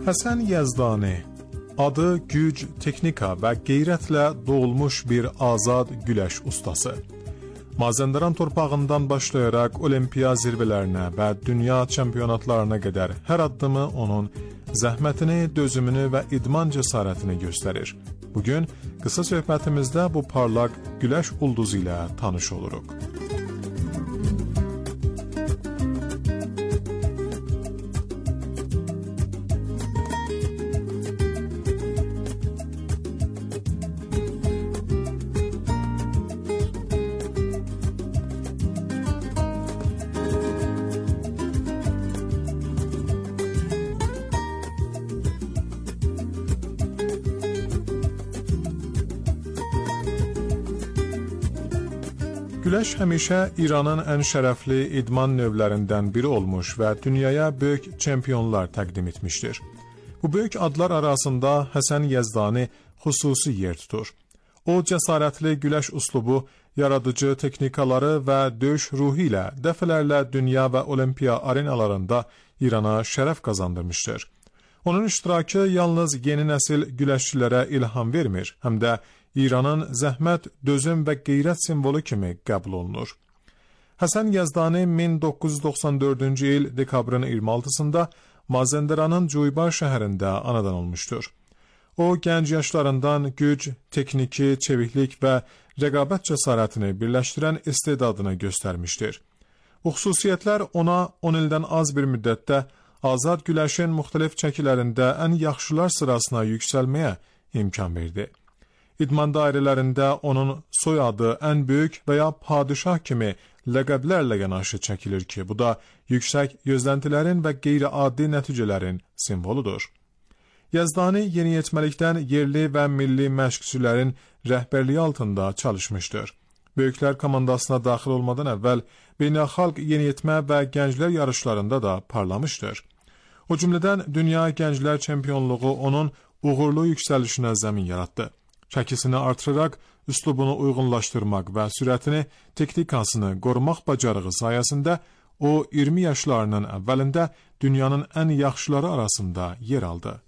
Həsən Yəzdani adı güc, texnika və qeyrətlə doğulmuş bir azad güləş ustası. Mazəndaran torpağından başlayaraq olimpiya zirvələrinə və dünya çempionatlarına qədər hər addımı onun zəhmətini, dözümünü və idman cəsarətini göstərir. Bugün qısa söhbətimizdə bu parlaq güləş ulduzu ilə tanış oluruq. Güləş həmişə İranın ən şərəfli idman növlərindən biri olmuş və dünyaya böyük çempionlar təqdim etmişdir. Bu böyük adlar arasında Həsən Yəzdani xüsusi yer tutur. O, cəsarətli güləş üslubu, yaradıcı texnikaları və döyüş ruhu ilə dəfələrlə dünya və olimpiya arenalarında İrana şərəf qazandırmışdır. Onun iştirakı yalnız yeni nəsil güləşçilərə ilham vermir, həm də İranın zəhmət, dözüm və qeyrət simvolu kimi qəbul olunur. Həsən Yəzdani 1994-cü il dekabrın 26-sında Mazəndaranın Cuybar şəhərində anadan olmuşdur. O, gənc yaşlarından güc, texniki, çeviklik və rəqabət cəsarətini birləşdirən istedadını göstərmişdir. Bu xüsusiyyətlər ona 10 ildən az bir müddətdə azad güləşin müxtəlif çəkilərində ən yaxşılar sırasına yüksəlməyə imkan verdi. İdman dairələrində onun soyadı ən böyük və ya padişah kimi ləqəblərlə yanaşı çəkilir ki, bu da yüksək gözləntilərin və qeyri-adi nəticələrin simvoludur. Yəzdani yeniyetməlikdən yerli və milli məşqçilərin rəhbərliyi altında çalışmışdır. Böyüklər komandasına daxil olmadan əvvəl beynəlxalq yeniyetmə və gənclər yarışlarında da parlamışdır. O cümlədən dünya gənclər çempionluğu onun uğurlu yüksəlişinə zəmin yaratdı. Çəkisini artıraraq, üslubunu uyğunlaşdırmaq və sürətini, texnikasını qorumaq bacarığı sayəsində o 20 yaşlarının əvvəlində dünyanın ən yaxşıları arasında yer aldı.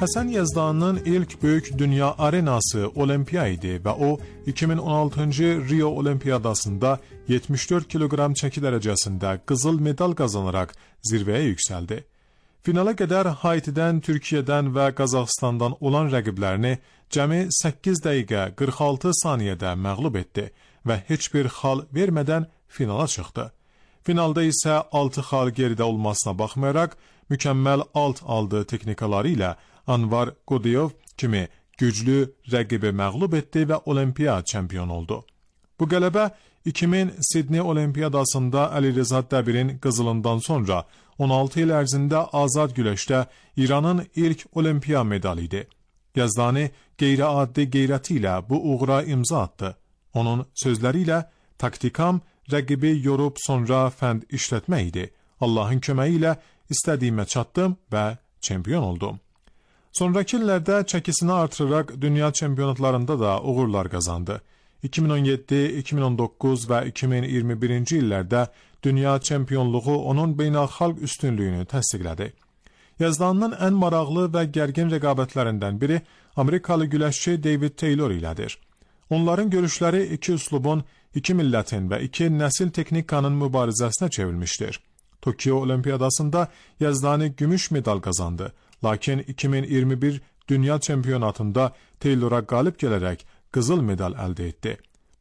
Həsən Yazdanın ilk böyük dünya arenası Olimpiya idi və o 2016-cı Rio Olimpiyadasında 74 kiloqram çəki dərəcəsində qızıl medal qazanaraq zirvəyə yüksəldi. Finala qədər Haitidən, Türkiyədən və Qazaxıstandan olan rəqiblərini cəmi 8 dəqiqə 46 saniyədə məğlub etdi və heç bir xal vermədən finala çıxdı. Finalda isə 6 xal geridə olmasına baxmayaraq, mükəmməl alt aldığı texnikaları ilə Anvar Qodiyov kimi güclü rəqibi məğlub etdi və Olimpiya çempionu oldu. Bu qələbə 2000 Sidney Olimpiyadasında Əli Rəza Dəbirin qızılından sonra 16 il ərzində azad güləşdə İranın ilk Olimpiya medalı idi. Yazdani qeyri-addi qeyrəti ilə bu uğura imza atdı. Onun sözləri ilə taktikam rəqibi yorub sonra fənd işlətmək idi. Allahın köməyi ilə istədiyimə çatdım və çempion oldum. Sonrakı illərdə çəkisini artıraraq dünya çempionatlarında da uğurlar qazandı. 2017, 2019 və 2021-ci illərdə dünya çempionluğu onun beynəlxalq üstünlüyünü təsdiqlədi. Yazdanın ən maraqlı və gərgin rəqabətlərindən biri Amerikalı güləşçi David Taylor ilədir. Onların görüşləri iki üslubun, iki millətin və iki nəsil texnikanın mübarizəsinə çevrilmişdir. Tokyo Olimpiyadasında Yazdani gümüş medal qazandı. Lakin 2021 dünya çempionatında Taylora qalib gələrək qızıl medal əldə etdi.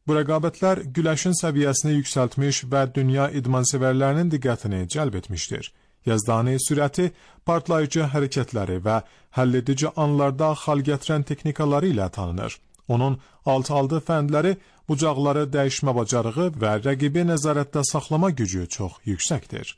Bu rəqabətlər güləşin səviyyəsini yüksəltmiş və dünya idmansevərlərinin diqqətini cəlb etmişdir. Yazdani sürəti, partlayıcı hərəkətləri və həlledici anlarda xal gətirən texnikaları ilə tanınır. Onun alt-aldı fəndləri, bucaqları dəyişmə bacarığı və rəqibi nəzarətdə saxlama gücü çox yüksəkdir.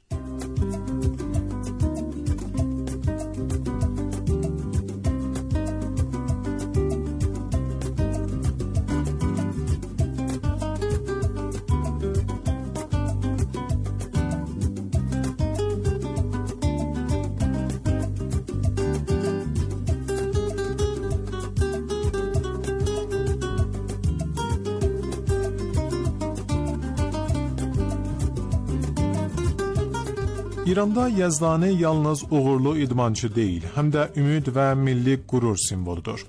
İranda Yazdani yalnız uğurlu idmançı deyil, həm də ümid və milli qürur simvoludur.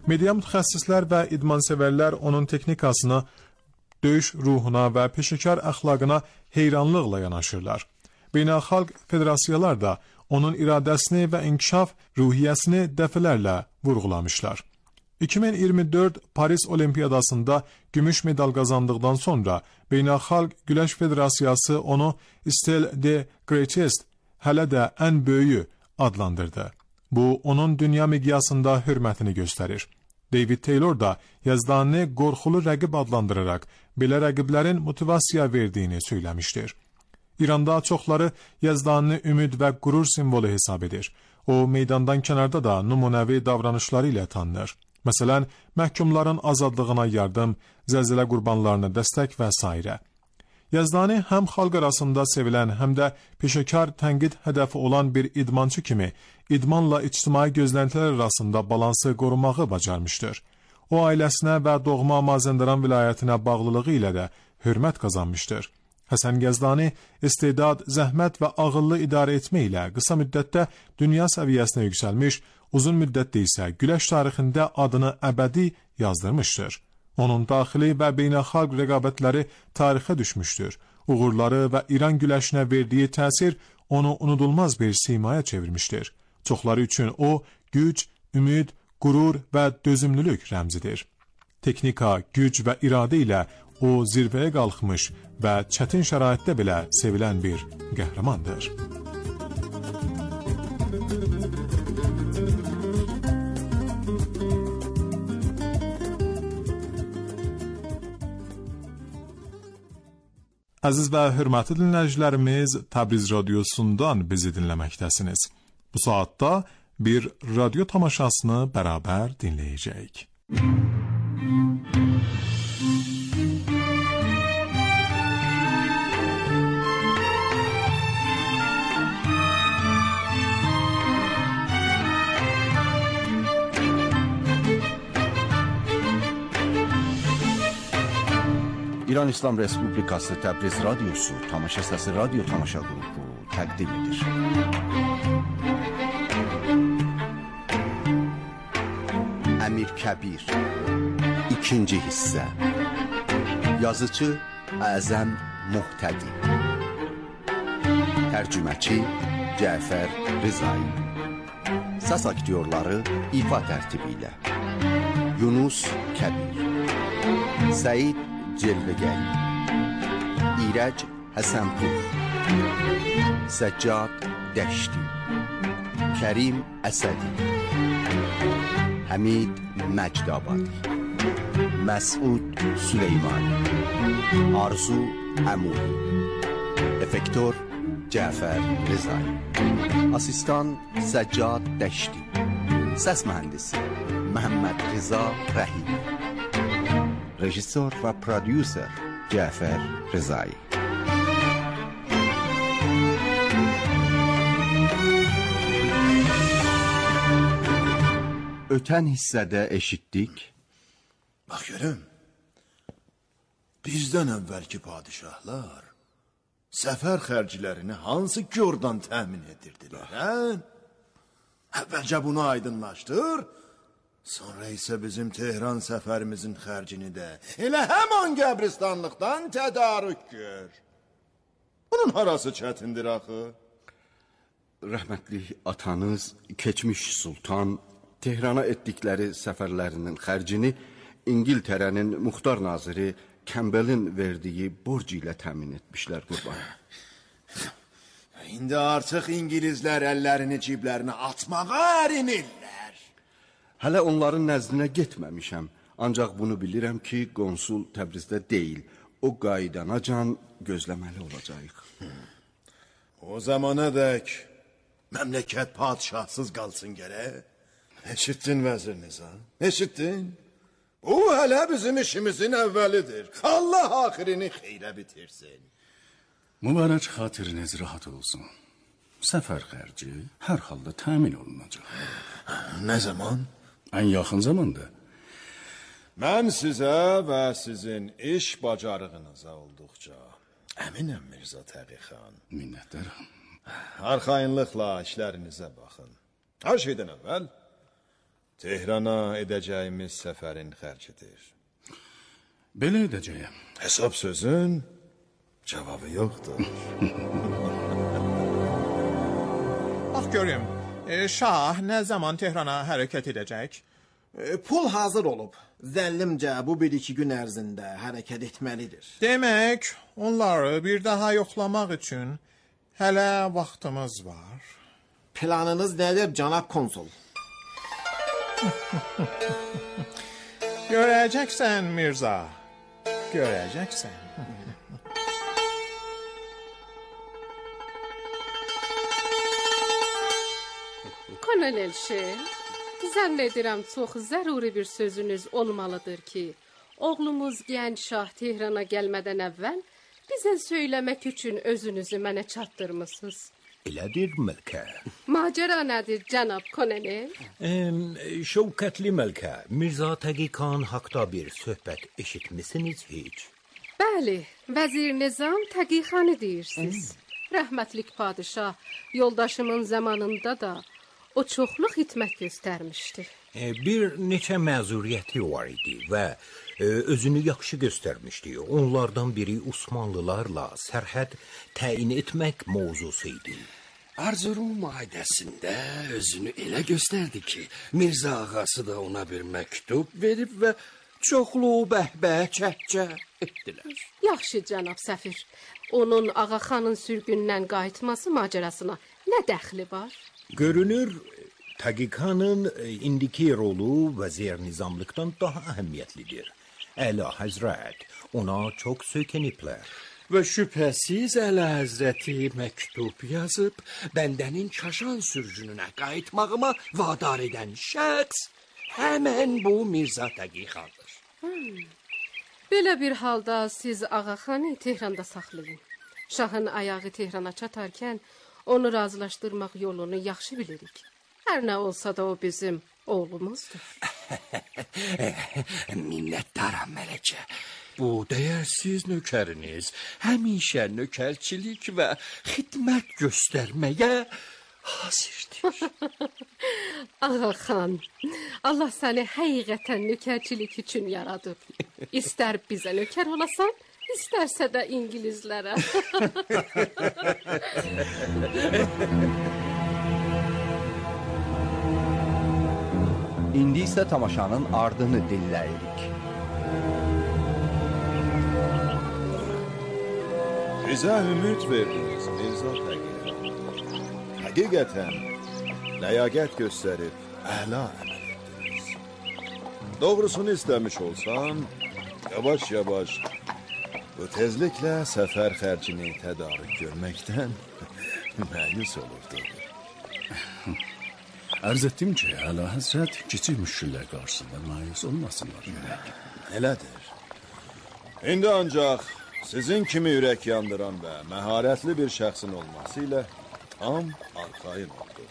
Media mütəxəssislər və idmansevərlər onun texnikasına, döyüş ruhuna və peşəkar əxlaqına heyranlıqla yanaşırlar. Beynəlxalq federasiyalar da onun iradəsini və inkişaf ruhiyyəsini dəfələrlə vurğulamışlar. 2024 Paris Olimpiyadasında gümüş medal qazandıqdan sonra Beynəlxalq Güləş Federasiyası onu Still the Greatest, hələ də ən böyüyü adlandırdı. Bu, onun dünya miqyasında hörmətini göstərir. David Taylor da Yazdanı qorxulu rəqib adlandıraraq belə rəqiblərin motivasiya verdiyini söyləmişdir. İranda çoxları Yazdanı ümid və qürur simvolu hesab edir. O, meydandan kənarda da nümunəvi davranışları ilə tanınır. Məsələn, məhkumların azadlığına yardım, zəlzələ qurbanlarına dəstək və s. Yazdani həm xalq arasında sevilən, həm də peşəkar tənqid hədəfi olan bir idmançı kimi idmanla ictimai gözləntilər arasında balansı qorumağı bacarmışdır. O, ailəsinə və doğma Mazəndaran vilayətinə bağlılığı ilə də hörmət qazanmışdır. Həsən Yazdani istedad, zəhmət və ağıllı idarə etmə ilə qısa müddətdə dünya səviyyəsinə yüksəlmiş, uzun müddətdə isə güləş tarixində adını əbədi yazdırmışdır. Onun daxili və beynəlxalq rəqabətləri tarixə düşmüşdür. Uğurları və İran güləşinə verdiyi təsir onu unudulmaz bir simaya çevirmişdir. Çoxları üçün o, güc, ümid, qürur və dözümlülük rəmzidir. Texnika, güc və iradə ilə o zirvəyə qalxmış və çətin şəraitdə belə sevilən bir qəhrəmandır. Əziz və hörmətli dinləyicilərimiz, Təbriz radiosundan bizi dinləməkdəsiniz. Bu saatda bir radyo tamaşasını bərabər dinləyəcəyik. İran İslam Respublikası Təbriz Radyosu Tamaşa Səsi Radyo Tamaşa Qrupu təqdim edir. Əmir Kəbir. İkinci hissə. Yazıcı Əzəm Muhtədi. Tərcüməçi Cəfər Rızai. Səs aktyorları ifa tərtibi ilə: Yunus Kəbir, Səid Celvegəli, İrəc Həsənpur, Səccad Dəşti, Kərim Əsədi, Həmid Məcdabadi, Məsud Süleymani, Arzu Əmudi. Effektor Cəfər Rızai. Asistan Səccad Dəşti. Səs mühəndisi Məhəmməd Rıza Rəhim. Rejissor və prodüser Cəfər Rızai. Ötən hissədə eşitdik. Bax görüm, bizdən əvvəlki padişahlar səfər xərclərini hansı yordan təmin edirdilər, hə? Əvvəlcə bunu aydınlaşdır, sonra isə bizim Tehran səfərimizin xərcini də elə həman qəbristanlıqdan tədarük gör. Bunun harası çətindir axı? Rəhmətli atanız, keçmiş sultan, Tehrana etdikləri səfərlərinin xərcini İngiltərənin muxtar naziri Kembelin verdiyi borc ilə təmin etmişlər qurban. İndi artıq İngilizlər əllərini ciblərinə atmağa ərinirlər. Hələ onların nəzdinə getməmişəm. Ancaq bunu bilirəm ki, konsul Təbrizdə deyil. O qaydanacan gözləməli olacaq. O zamana dək məmləkət padişahsız qalsın gərək. Eşittin vəzir Nizam, eşittin? Bu hələ bizim işimizin əvvəlidir. Allah axirini xeyrə bitirsin. Mübarək xatiriniz rahat olsun. Səfər xərci hər halda təmin olunacaq. Nə zaman? Ən yaxın zamanda. Mən sizə və sizin iş bacarığınıza olduqca əminəm Mirzə Təqi xan. Minnətdaram. Arxayınlıqla işlərinizə baxın. Hər şeydən əvvəl Tehrana edəcəyimiz səfərin xərcidir. Belə edəcəyəm. Hesab sözün cavabı yoxdur. Bax görüm, Şah nə zaman Tehrana hərəkət edəcək? Pul hazır olub. Zəllimcə bu 1-2 gün ərzində hərəkət etməlidir. Demək, onları bir daha yoxlamaq üçün hələ vaxtımız var. Planınız nədir, cənab konsul? Görəcəksən Mirza, görəcəksən. Kolonel Şeh, zənn edirəm çox zəruri bir sözünüz olmalıdır ki, oğlumuz gənc şah Tehrana gəlmədən əvvəl bizə söyləmək üçün özünüzü mənə çatdırmısınız. Elədir Məlkə. Macəra nədir cənab kolonel? Şəvkətli Məlkə, Mirzə Təqi xan haqda bir söhbət eşitmisiniz heç? Bəli, vəzir Nizam Təqi xanı deyirsiniz. Rəhmətlik padişah yoldaşımın zamanında da o çoxlu xidmət göstərmişdi. Bir neçə məzuriyyəti var idi və özünü yaxşı göstərmişdi. Onlardan biri Osmanlılarla sərhəd təyin etmək mövzusu idi. Erzurum maidəsində özünü elə göstərdi ki, Mirzə ağası da ona bir məktub verib və çoxlu bəhbə çəkcə etdilər. Yaxşı cənab səfir, onun Ağaxanın sürgündən qayıtması macərasına nə dəxli var? Görünür, Təqi xanın indiki rolu vəzir nizamlıqdan daha əhəmiyyətlidir. Əla Həzrət ona çox söykəniblər. Və şübhəsiz Əla Həzrəti məktub yazıb, bəndənin Kaşan sürgününə qayıtmağıma vadar edən şəxs həmən bu Mirzə Təqi xandır. Belə bir halda siz Ağaxanı Tehranda saxlayın. Şahın ayağı Tehrana çatarkən onu razılaşdırmaq yolunu yaxşı bilirik. Hər nə olsa da o bizim oğlumuzdur. Minnətdaram mələkə. Bu dəyərsiz nökəriniz həmişə nökərçilik və xidmət göstərməyə hazırdır. Ağa xan, Allah səni həqiqətən nökərçilik üçün yaradıb. İstər bizə nökər olasan, istərsə də İngilizlərə. İndi isə tamaşanın ardını dinləyirik. Bizə ümid verdiniz Mirza Təqi. Həqiqətən ləyaqət göstərib əla əməl etdiniz. Doğrusunu istəmiş olsan, yavaş-yavaş bu tezliklə səfər xərcini tədarük görməkdən məyus olurdu. Arz etdim ki, Əla Həzrət kiçik müşkillər qarşısında məyus olmasınlar. Elədir. İndi ancaq sizin kimi ürək yandıran və məharətli bir şəxsin olması ilə tam arxayın oldu.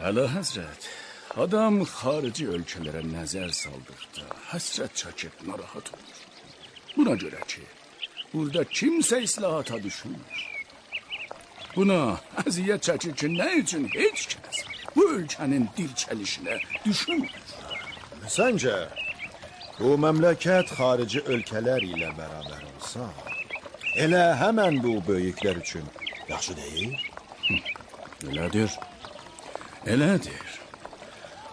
Əla Həzrət, adam xarici ölkələrə nəzər saldıqda həsrət çəkib narahat olur. Buna görə ki, burada kimsə islahata düşünmür. Buna əziyyət çəkir ki, nə üçün heç kəs bu ölkənin dirçəlişinə düşünmür. Səncə, bu məmləkət xarici ölkələr ilə bərabər olsa, elə həmən bu böyüklər üçün yaxşı deyil? Elədir. Elədir.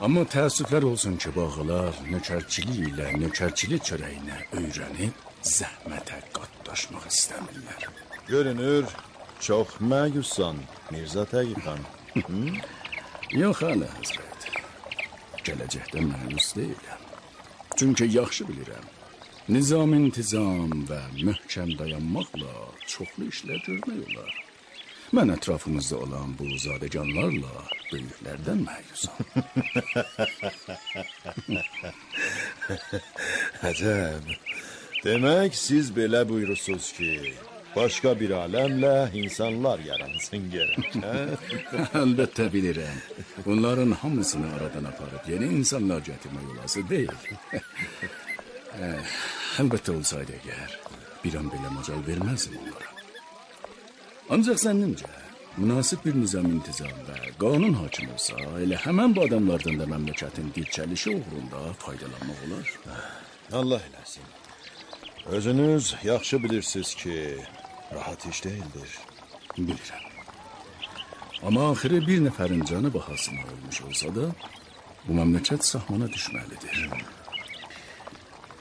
Amma təəssüflər olsun ki, bağlar nökərçilik ilə nökərçilik çörəyinə öyrənib zəhmətə qatlaşmaq istəmirlər. Görünür, çox məyussan Mirza Təqi xan. Yox, Əla Həzrət. Gələcəkdə məyus deyiləm. Çünki yaxşı bilirəm. Nizam-intizam və möhkəm dayanmaqla çoxlu işlər görmək olar. Mən ətrafımızda olan bu zadəganlarla böyüklərdən məyusam. Əcəb. Demək, siz belə buyurursunuz ki, başqa bir aləmlə insanlar yaransın gərək, hə? Əlbəttə bilirəm. Bunların hamısını aradan aparıb yeni insanlar gətirmək olası deyil. Əlbəttə olsaydı əgər, bir an belə macal verməzdim onlara. Ancaq zənnimcə, münasib bir nizam-intizam və qanun hakim olsa, elə həmən bu adamlardan da məmləkətin dirçəlişi uğrunda faydalanmaq olar. Allah eləsin. Özünüz yaxşı bilirsiniz ki, rahat iş deyildir. Bilirəm. Amma axırı bir nəfərin canı bahasına olmuş olsa da, bu məmləkət sahmana düşməlidir.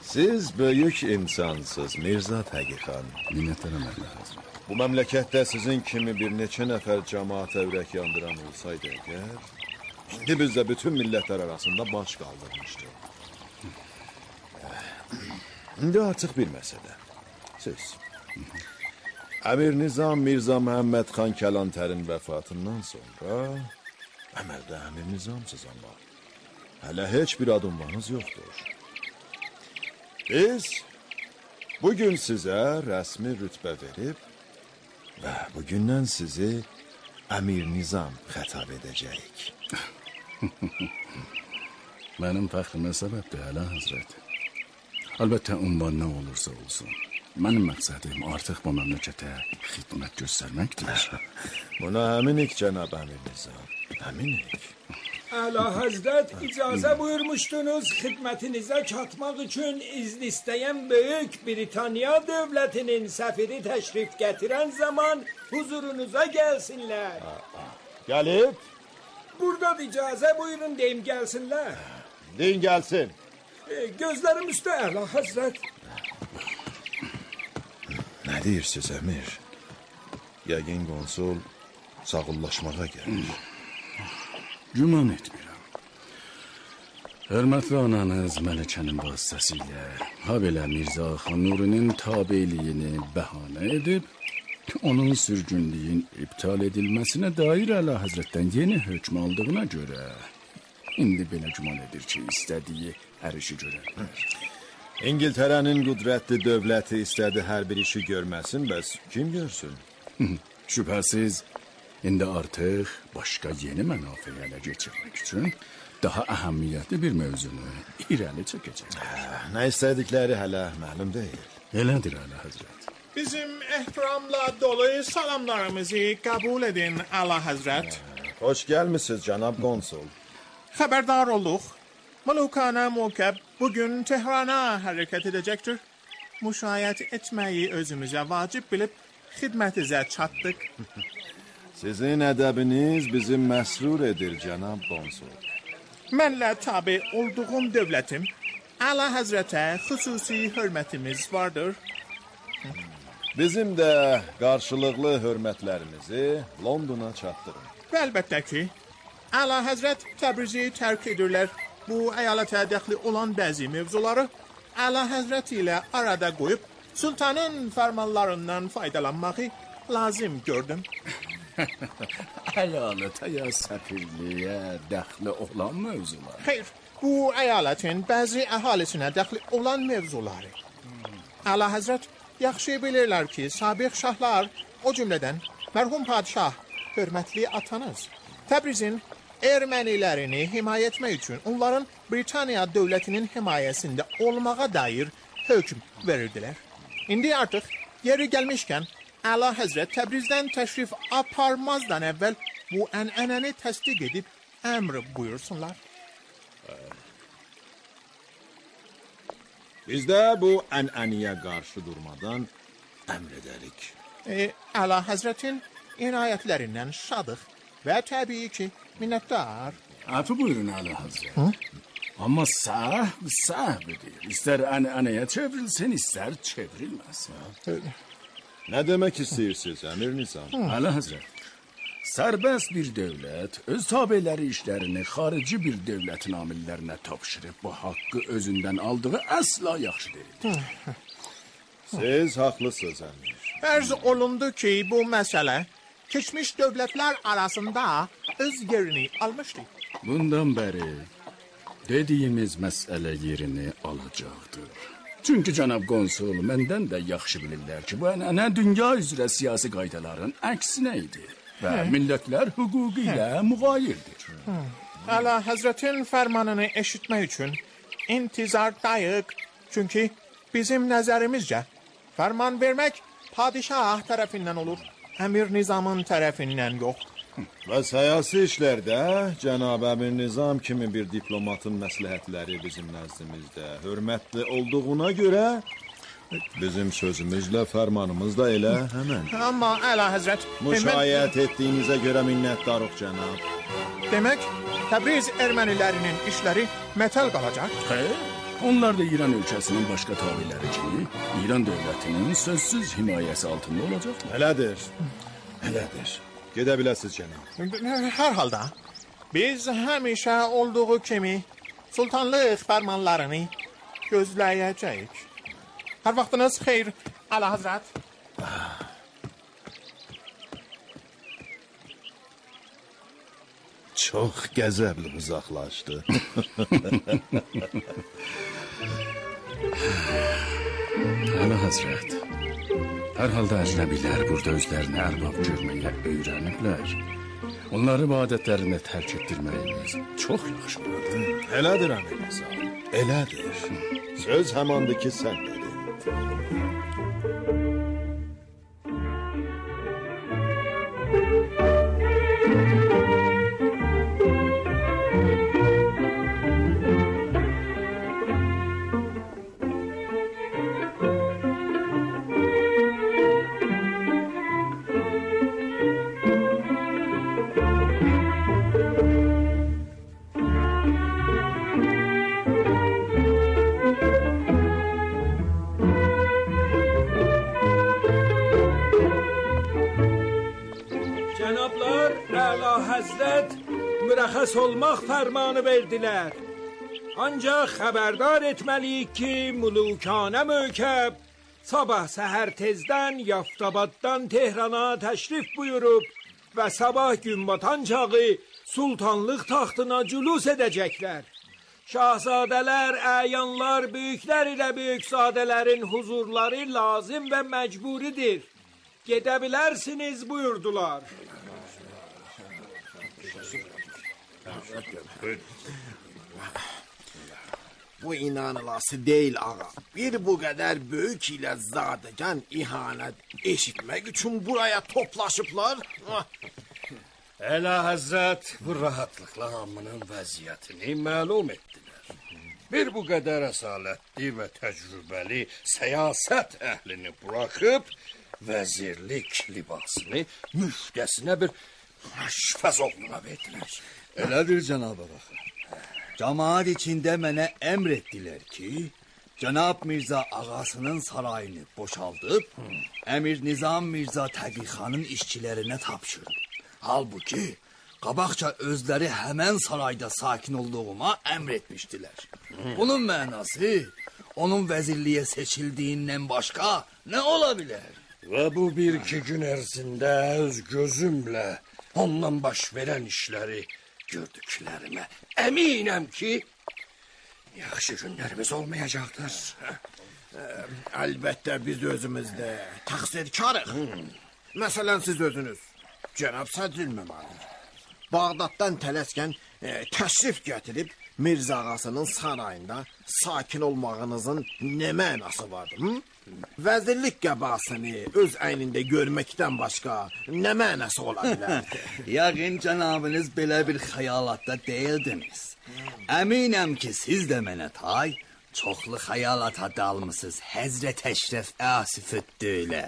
Siz böyük insansınız Mirza Təqi xan. Minnətdaram Əla Həzrət. Bu məmləkətdə sizin kimi bir neçə nəfər cəmaata ürək yandıran olsaydı əgər, indi bizdə bütün millətlər arasında baş qaldırmışdı. İndi artıq bir məsələ. Siz. Əmir Nizam Mirza Məhəmməd xan Kəlantərin vəfatından sonra əməldə Əmir Nizamsız amma hələ heç bir adımlarınız yoxdur. Biz bugün sizə rəsmi rütbə verib və bugündən sizi Əmir Nizam xətab edəcəyik. Mənim fəxrimə səbəbdir, Əla Həzrət. Əlbəttə, ünvan nə olursa olsun. Mənim məqsədim artıq bu məmləkətə xidmət göstərməkdir. Buna əminik, cənab Əmir Nizam. Əminik. Əla Həzrət, icazə buyurmuşdunuz xidmətinizə çatmaq üçün izin istəyən Böyük Britaniya dövlətinin səfiri təşrif gətirən zaman huzurunuza gəlsinlər. Gəlib? Burada icazə buyurun deyim gəlsinlər. Deyin gəlsin. Gözlərim üstə, Əla Həzrət. Nə deyirsiniz, Əmir? Yəqin konsul sağollaşmağa gəlir. Güman etmirəm. Hörmətli ananız Məlikənin vasitəsilə habelə Mirza Xan Nurinin tabeliyini bəhanə edib, onun sürgünlüyün iptal edilməsinə dair Əla Həzrətdən yeni hökm aldığına görə, indi belə güman edir ki, istədiyi hər işi görərlər. İngiltərənin qüdrətli dövləti istədi hər bir işi görməsin, bəs kim görsün? Şübhəsiz, indi artıq başqa yeni mənafə ələ geçirmək üçün daha əhəmiyyətli bir mövzunu irəli çəkəcək. Nə istədikləri hələ məlum deyil. Elədir, Əla Həzrət. Bizim ehtiramla dolu salamlarımızı kabul edin Ala Hazret. Hoş gelmişsiniz Cenab Konsul. Haberdar olduk. Malukane Mukeb bugün Tehran'a hareket edecektir. Müşayet etmeyi özümüze vacip bilip hizmetinize çattık. Sizin edebiniz bizi mesrur edir Cenab Konsul. Mənlə tabi olduğum devletim, Ala Hazret'e hususi hürmetimiz vardır. Bizim de karşılıklı hürmetlerimizi London'a çatdırın. Elbette ki, Ala Hazret Təbrizi terk edirler. Bu eyalete dəxli olan bazı mevzuları Ala Hazret ile arada koyup sultanın fermanlarından faydalanmayı lazım gördüm. Eyalete ya səfirliyə dəxli olan mövzular. Hayır, bu eyaletin bazı ahalisine dəxli olan mevzuları. Ala Hazret yaxşı bilirler ki, sabiq şahlar, o cümleden merhum padişah, hürmetli atanız, Təbrizin Ermenilerini himaye etmek için onların Britanya devletinin himayesinde olmağa dair hüküm verirdiler. İndi artık yeri gelmişken Ala Hazret Təbrizden teşrif aparmazdan evvel bu eneneni tasdik edip emr buyursunlar. Biz de bu eneniye karşı durmadan emrederik. Ala Hazret'in inayetlerinden şadık ve tabii ki minnettar. Afı buyurun Ala Hazret. Ama sahbidir. İster eneye çevrilsin, ister çevrilmesin. Ne demek istiyorsunuz Emir Nizam? Ala Hazret, serbest bir devlet öz tabeleri işlerini harici bir devletin amillerine tapşırıp bu hakkı özünden aldığı asla yaxşı değil. Siz haklısınız Emir. Arz olundu ki bu mesele geçmiş devletler arasında öz yerini almıştı. Bundan beri dediğimiz mesele yerini alacaktır. Çünkü Cenab Konsul menden de yaxşı bilirler ki bu ənənə dünya üzrə siyasi qaydaların əksinəydi ve milletler hukukuyla mugayirdir. Ala Hazret'in fermanını eşitmek için intizardayıq. Çünkü bizim nəzərimizcə ferman vermek padişah tarafından olur. Emir Nizam'ın tarafından yok. Ve siyasi işlerde Cenab-ı Emir Nizam kimi bir diplomatın məsləhətləri bizim nəzdimizdə hürmetli olduğuna göre bizim sözümüzle fermanımız da elə hemen. Ama Ala Hazret... Müşayət ettiğinize göre minnettarıq Cenab. Demek Təbriz Ermenilerinin işleri metal kalacak. Onlar da İran ülkesinin başka tabileri gibi İran devletinin sözsüz himayesi altında olacaklar. Elədir. Gedə biləsiz Cenab. Her halde biz həmişə olduğu kimi sultanlıq fermanlarını gözləyəcəyik. Her vaxtınız xeyir Ala Hazret. Çok qəzəbli uzaqlaşdı. Ala Hazret, herhalde əcnəbilər burada özlərini ərbab görməyə öyrəniblər. Onları bu adətlərini tərk etdirməyimiz çox yaxşı oldu. Elədir Əmir Nizam, elədir. Söz həmandır ki, sən dedin. mürəxəs olmaq fərmanı verdilər. Ancaq xəbərdar etməliyik ki, mulukanə mökəb sabah səhər tezdən Yaftabaddan Tehrana təşrif buyurub və sabah gün batan çağı sultanlıq taxtına cülus edəcəklər. Şahzadələr, əyanlar, böyüklər ilə böyükzadələrin huzurları lazım və məcburidir. Gedə bilərsiniz buyurdular. Bu inanılası değil ağa. Bir bu kadar büyük ile zadegen ihanet eşitmek için buraya toplaşıplar. Əla Həzrət bu rahatlıqla hamının vəziyyətini məlum etdilər. Bir bu qədər əsalətli və təcrübəli siyasət əhlini buraxıb, vəzirlik libasını müftəsinə bir aşfəz oğluna verdilər. Elədir cənab ağa. Camaat içində mənə əmr etdilər ki, Cənab Mirza ağasının sarayını boşaldıb, Əmir Nizam Mirza Təqixanın işçilərinə tapşırdı. Halbuki qabaqca özləri həmən sarayda sakin olduğuma əmr etmişdilər. Bunun mənası onun vəzirliyə seçildiyindən başqa nə ola bilər? Və bu bir-iki gün ərzində öz gözümlə ondan baş verən işləri gördüklərimə əminəm ki, yaxşı günlərimiz olmayacaqdır. Əlbəttə biz özümüzdə təqsirkarıq. Məsələn siz özünüz. Cənab Sədr Məmali, Bağdaddan tələskən təşrif gətirib Mirza ağasının sarayında sakin olmağınızın nə mənası vardı? Vəzirlik qəbasını öz əynində görməkdən başqa nə mənası ola bilərdi? Yəqin cənabınız belə bir xəyalatda deyildiniz. Əminəm ki, siz də mənə tay, çoxlu xəyalata dalmısınız. Həzrət Əşrəf Asifüddülə.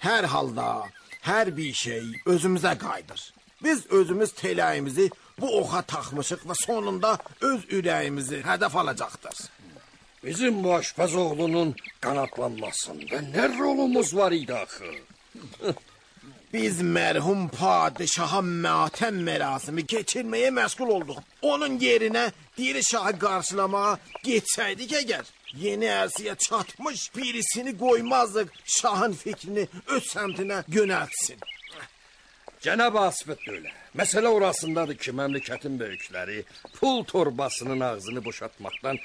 Hər halda hər bir şey özümüzə qayıdır. Biz özümüz teləyimizi bu oxa taxmışıq və sonunda öz ürəyimizi hədəf alacaqdır. Bizim bu aşpaz oğlunun qanatlanmasında nə rolumuz var idi axı? Biz mərhum padişaha matəm mərasimi keçirməyə məşğul olduq. Onun yerinə diri şahı qarşılamağa getsəydik əgər, yeni ərsiyə çatmış birisini qoymazdıq şahın fikrini öz səmtinə yönəltsin. Cənab Asifüddülə, məsələ orasındadır ki, məmləkətin böyükləri pul torbasının ağzını boşaltmaqdan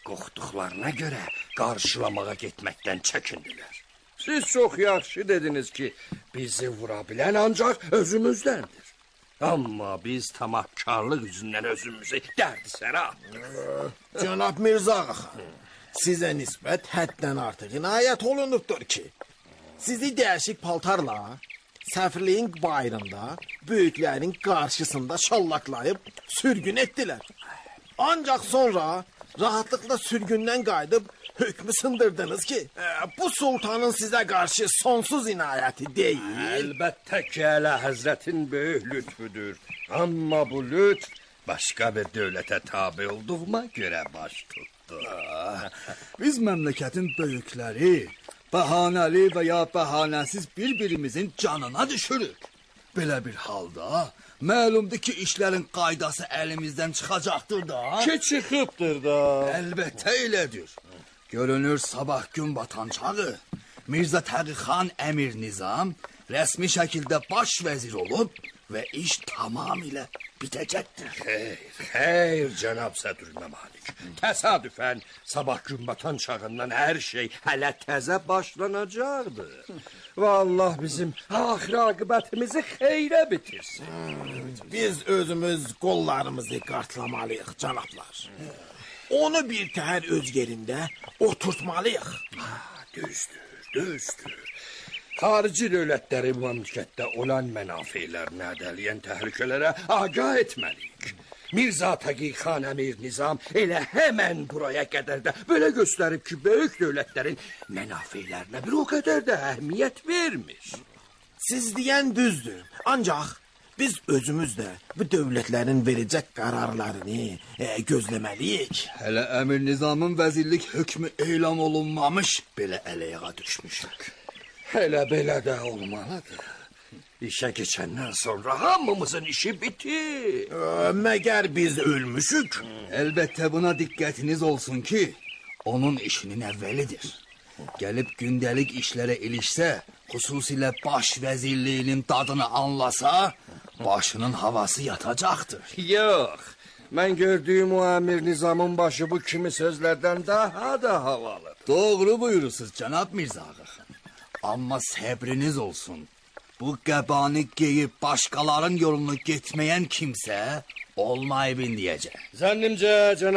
qorxduqlarına görə qarşılamağa getməkdən çəkindilər. Siz çox yaxşı dediniz ki, bizi vura bilən ancaq özümüzdəndir. Amma biz tamahkarlıq üzündən özümüzü dərd-sərə atdıq. Cənab Mirza ağa, sizə nisbət həddən artıq inayət olunubdur ki, sizi dəyişik paltarla səfirliyin bayrında böyüklərin qarşısında şallaqlayıb sürgün etdilər. Ancaq sonra rahatlıqla sürgündən qayıdıb hökmü sındırdınız ki, bu sultanın sizə qarşı sonsuz inayəti deyil. Əlbəttə ki, Əla Həzrətin böyük lütfüdür. Amma bu lütf başqa bir dövlətə tabi olduğuma görə baş tutdu. Biz məmləkətin böyükləri bəhanəli və ya bəhanəsiz bir-birimizin canına düşürük. Belə bir halda məlumdur ki, işlərin qaydası əlimizdən çıxacaqdır da. Ki çıxıbdır da. Əlbəttə elədir. Görünür sabah gün batan çağı Mirza Təqixan Əmir Nizam rəsmi şəkildə baş vəzir olub və iş tamamilə bitəcəkdir. Xeyr, cənab Sədrülməmalik. Təsadüfən sabah gün batan çağından hər şey hələ təzə başlanacaqdır. Və Allah bizim axir aqibətimizi xeyrə bitirsin. Biz özümüz qollarımızı qartlamalıyıq, cənablar. Onu bir təhər öz yerində oturtmalıyıq. Düzdür. Xarici dövlətləri məmləkətdə olan mənafeylərini ədələyən təhlükələrə agah etməliyik. Mirza Təqixan Əmir Nizam elə həmən buraya qədər də belə göstərib ki, böyük dövlətlərin mənafeylərinə bir o qədər də əhəmiyyət vermiş. Siz deyən düzdür, ancaq biz özümüz də bu dövlətlərin verəcək qərarlarını gözləməliyik. Hələ Əmir Nizamın vəzirlik hökmü elan olunmamış belə ələyağa düşmüşük. Elə belə də olmalıdır. İşə keçəndən sonra hamımızın işi bitir. Məgər biz ölmüşük? Əlbəttə buna diqqətiniz olsun ki, onun işinin əvvəlidir. Gəlib gündəlik işlərə ilişsə, xüsusilə baş vəzirliyinin dadını anlasa, başının havası yatacaqdır. Yox, mən gördüyüm o Əmir Nizamın başı bu kimi sözlərdən daha da havalıdır. Doğru buyurursunuz cənab Mirza ağa. Amma səbriniz olsun. Bu qəbanı geyib başqaların yolunu getməyən kimsə olmayıb indiyəcək. Zənnimcə cənab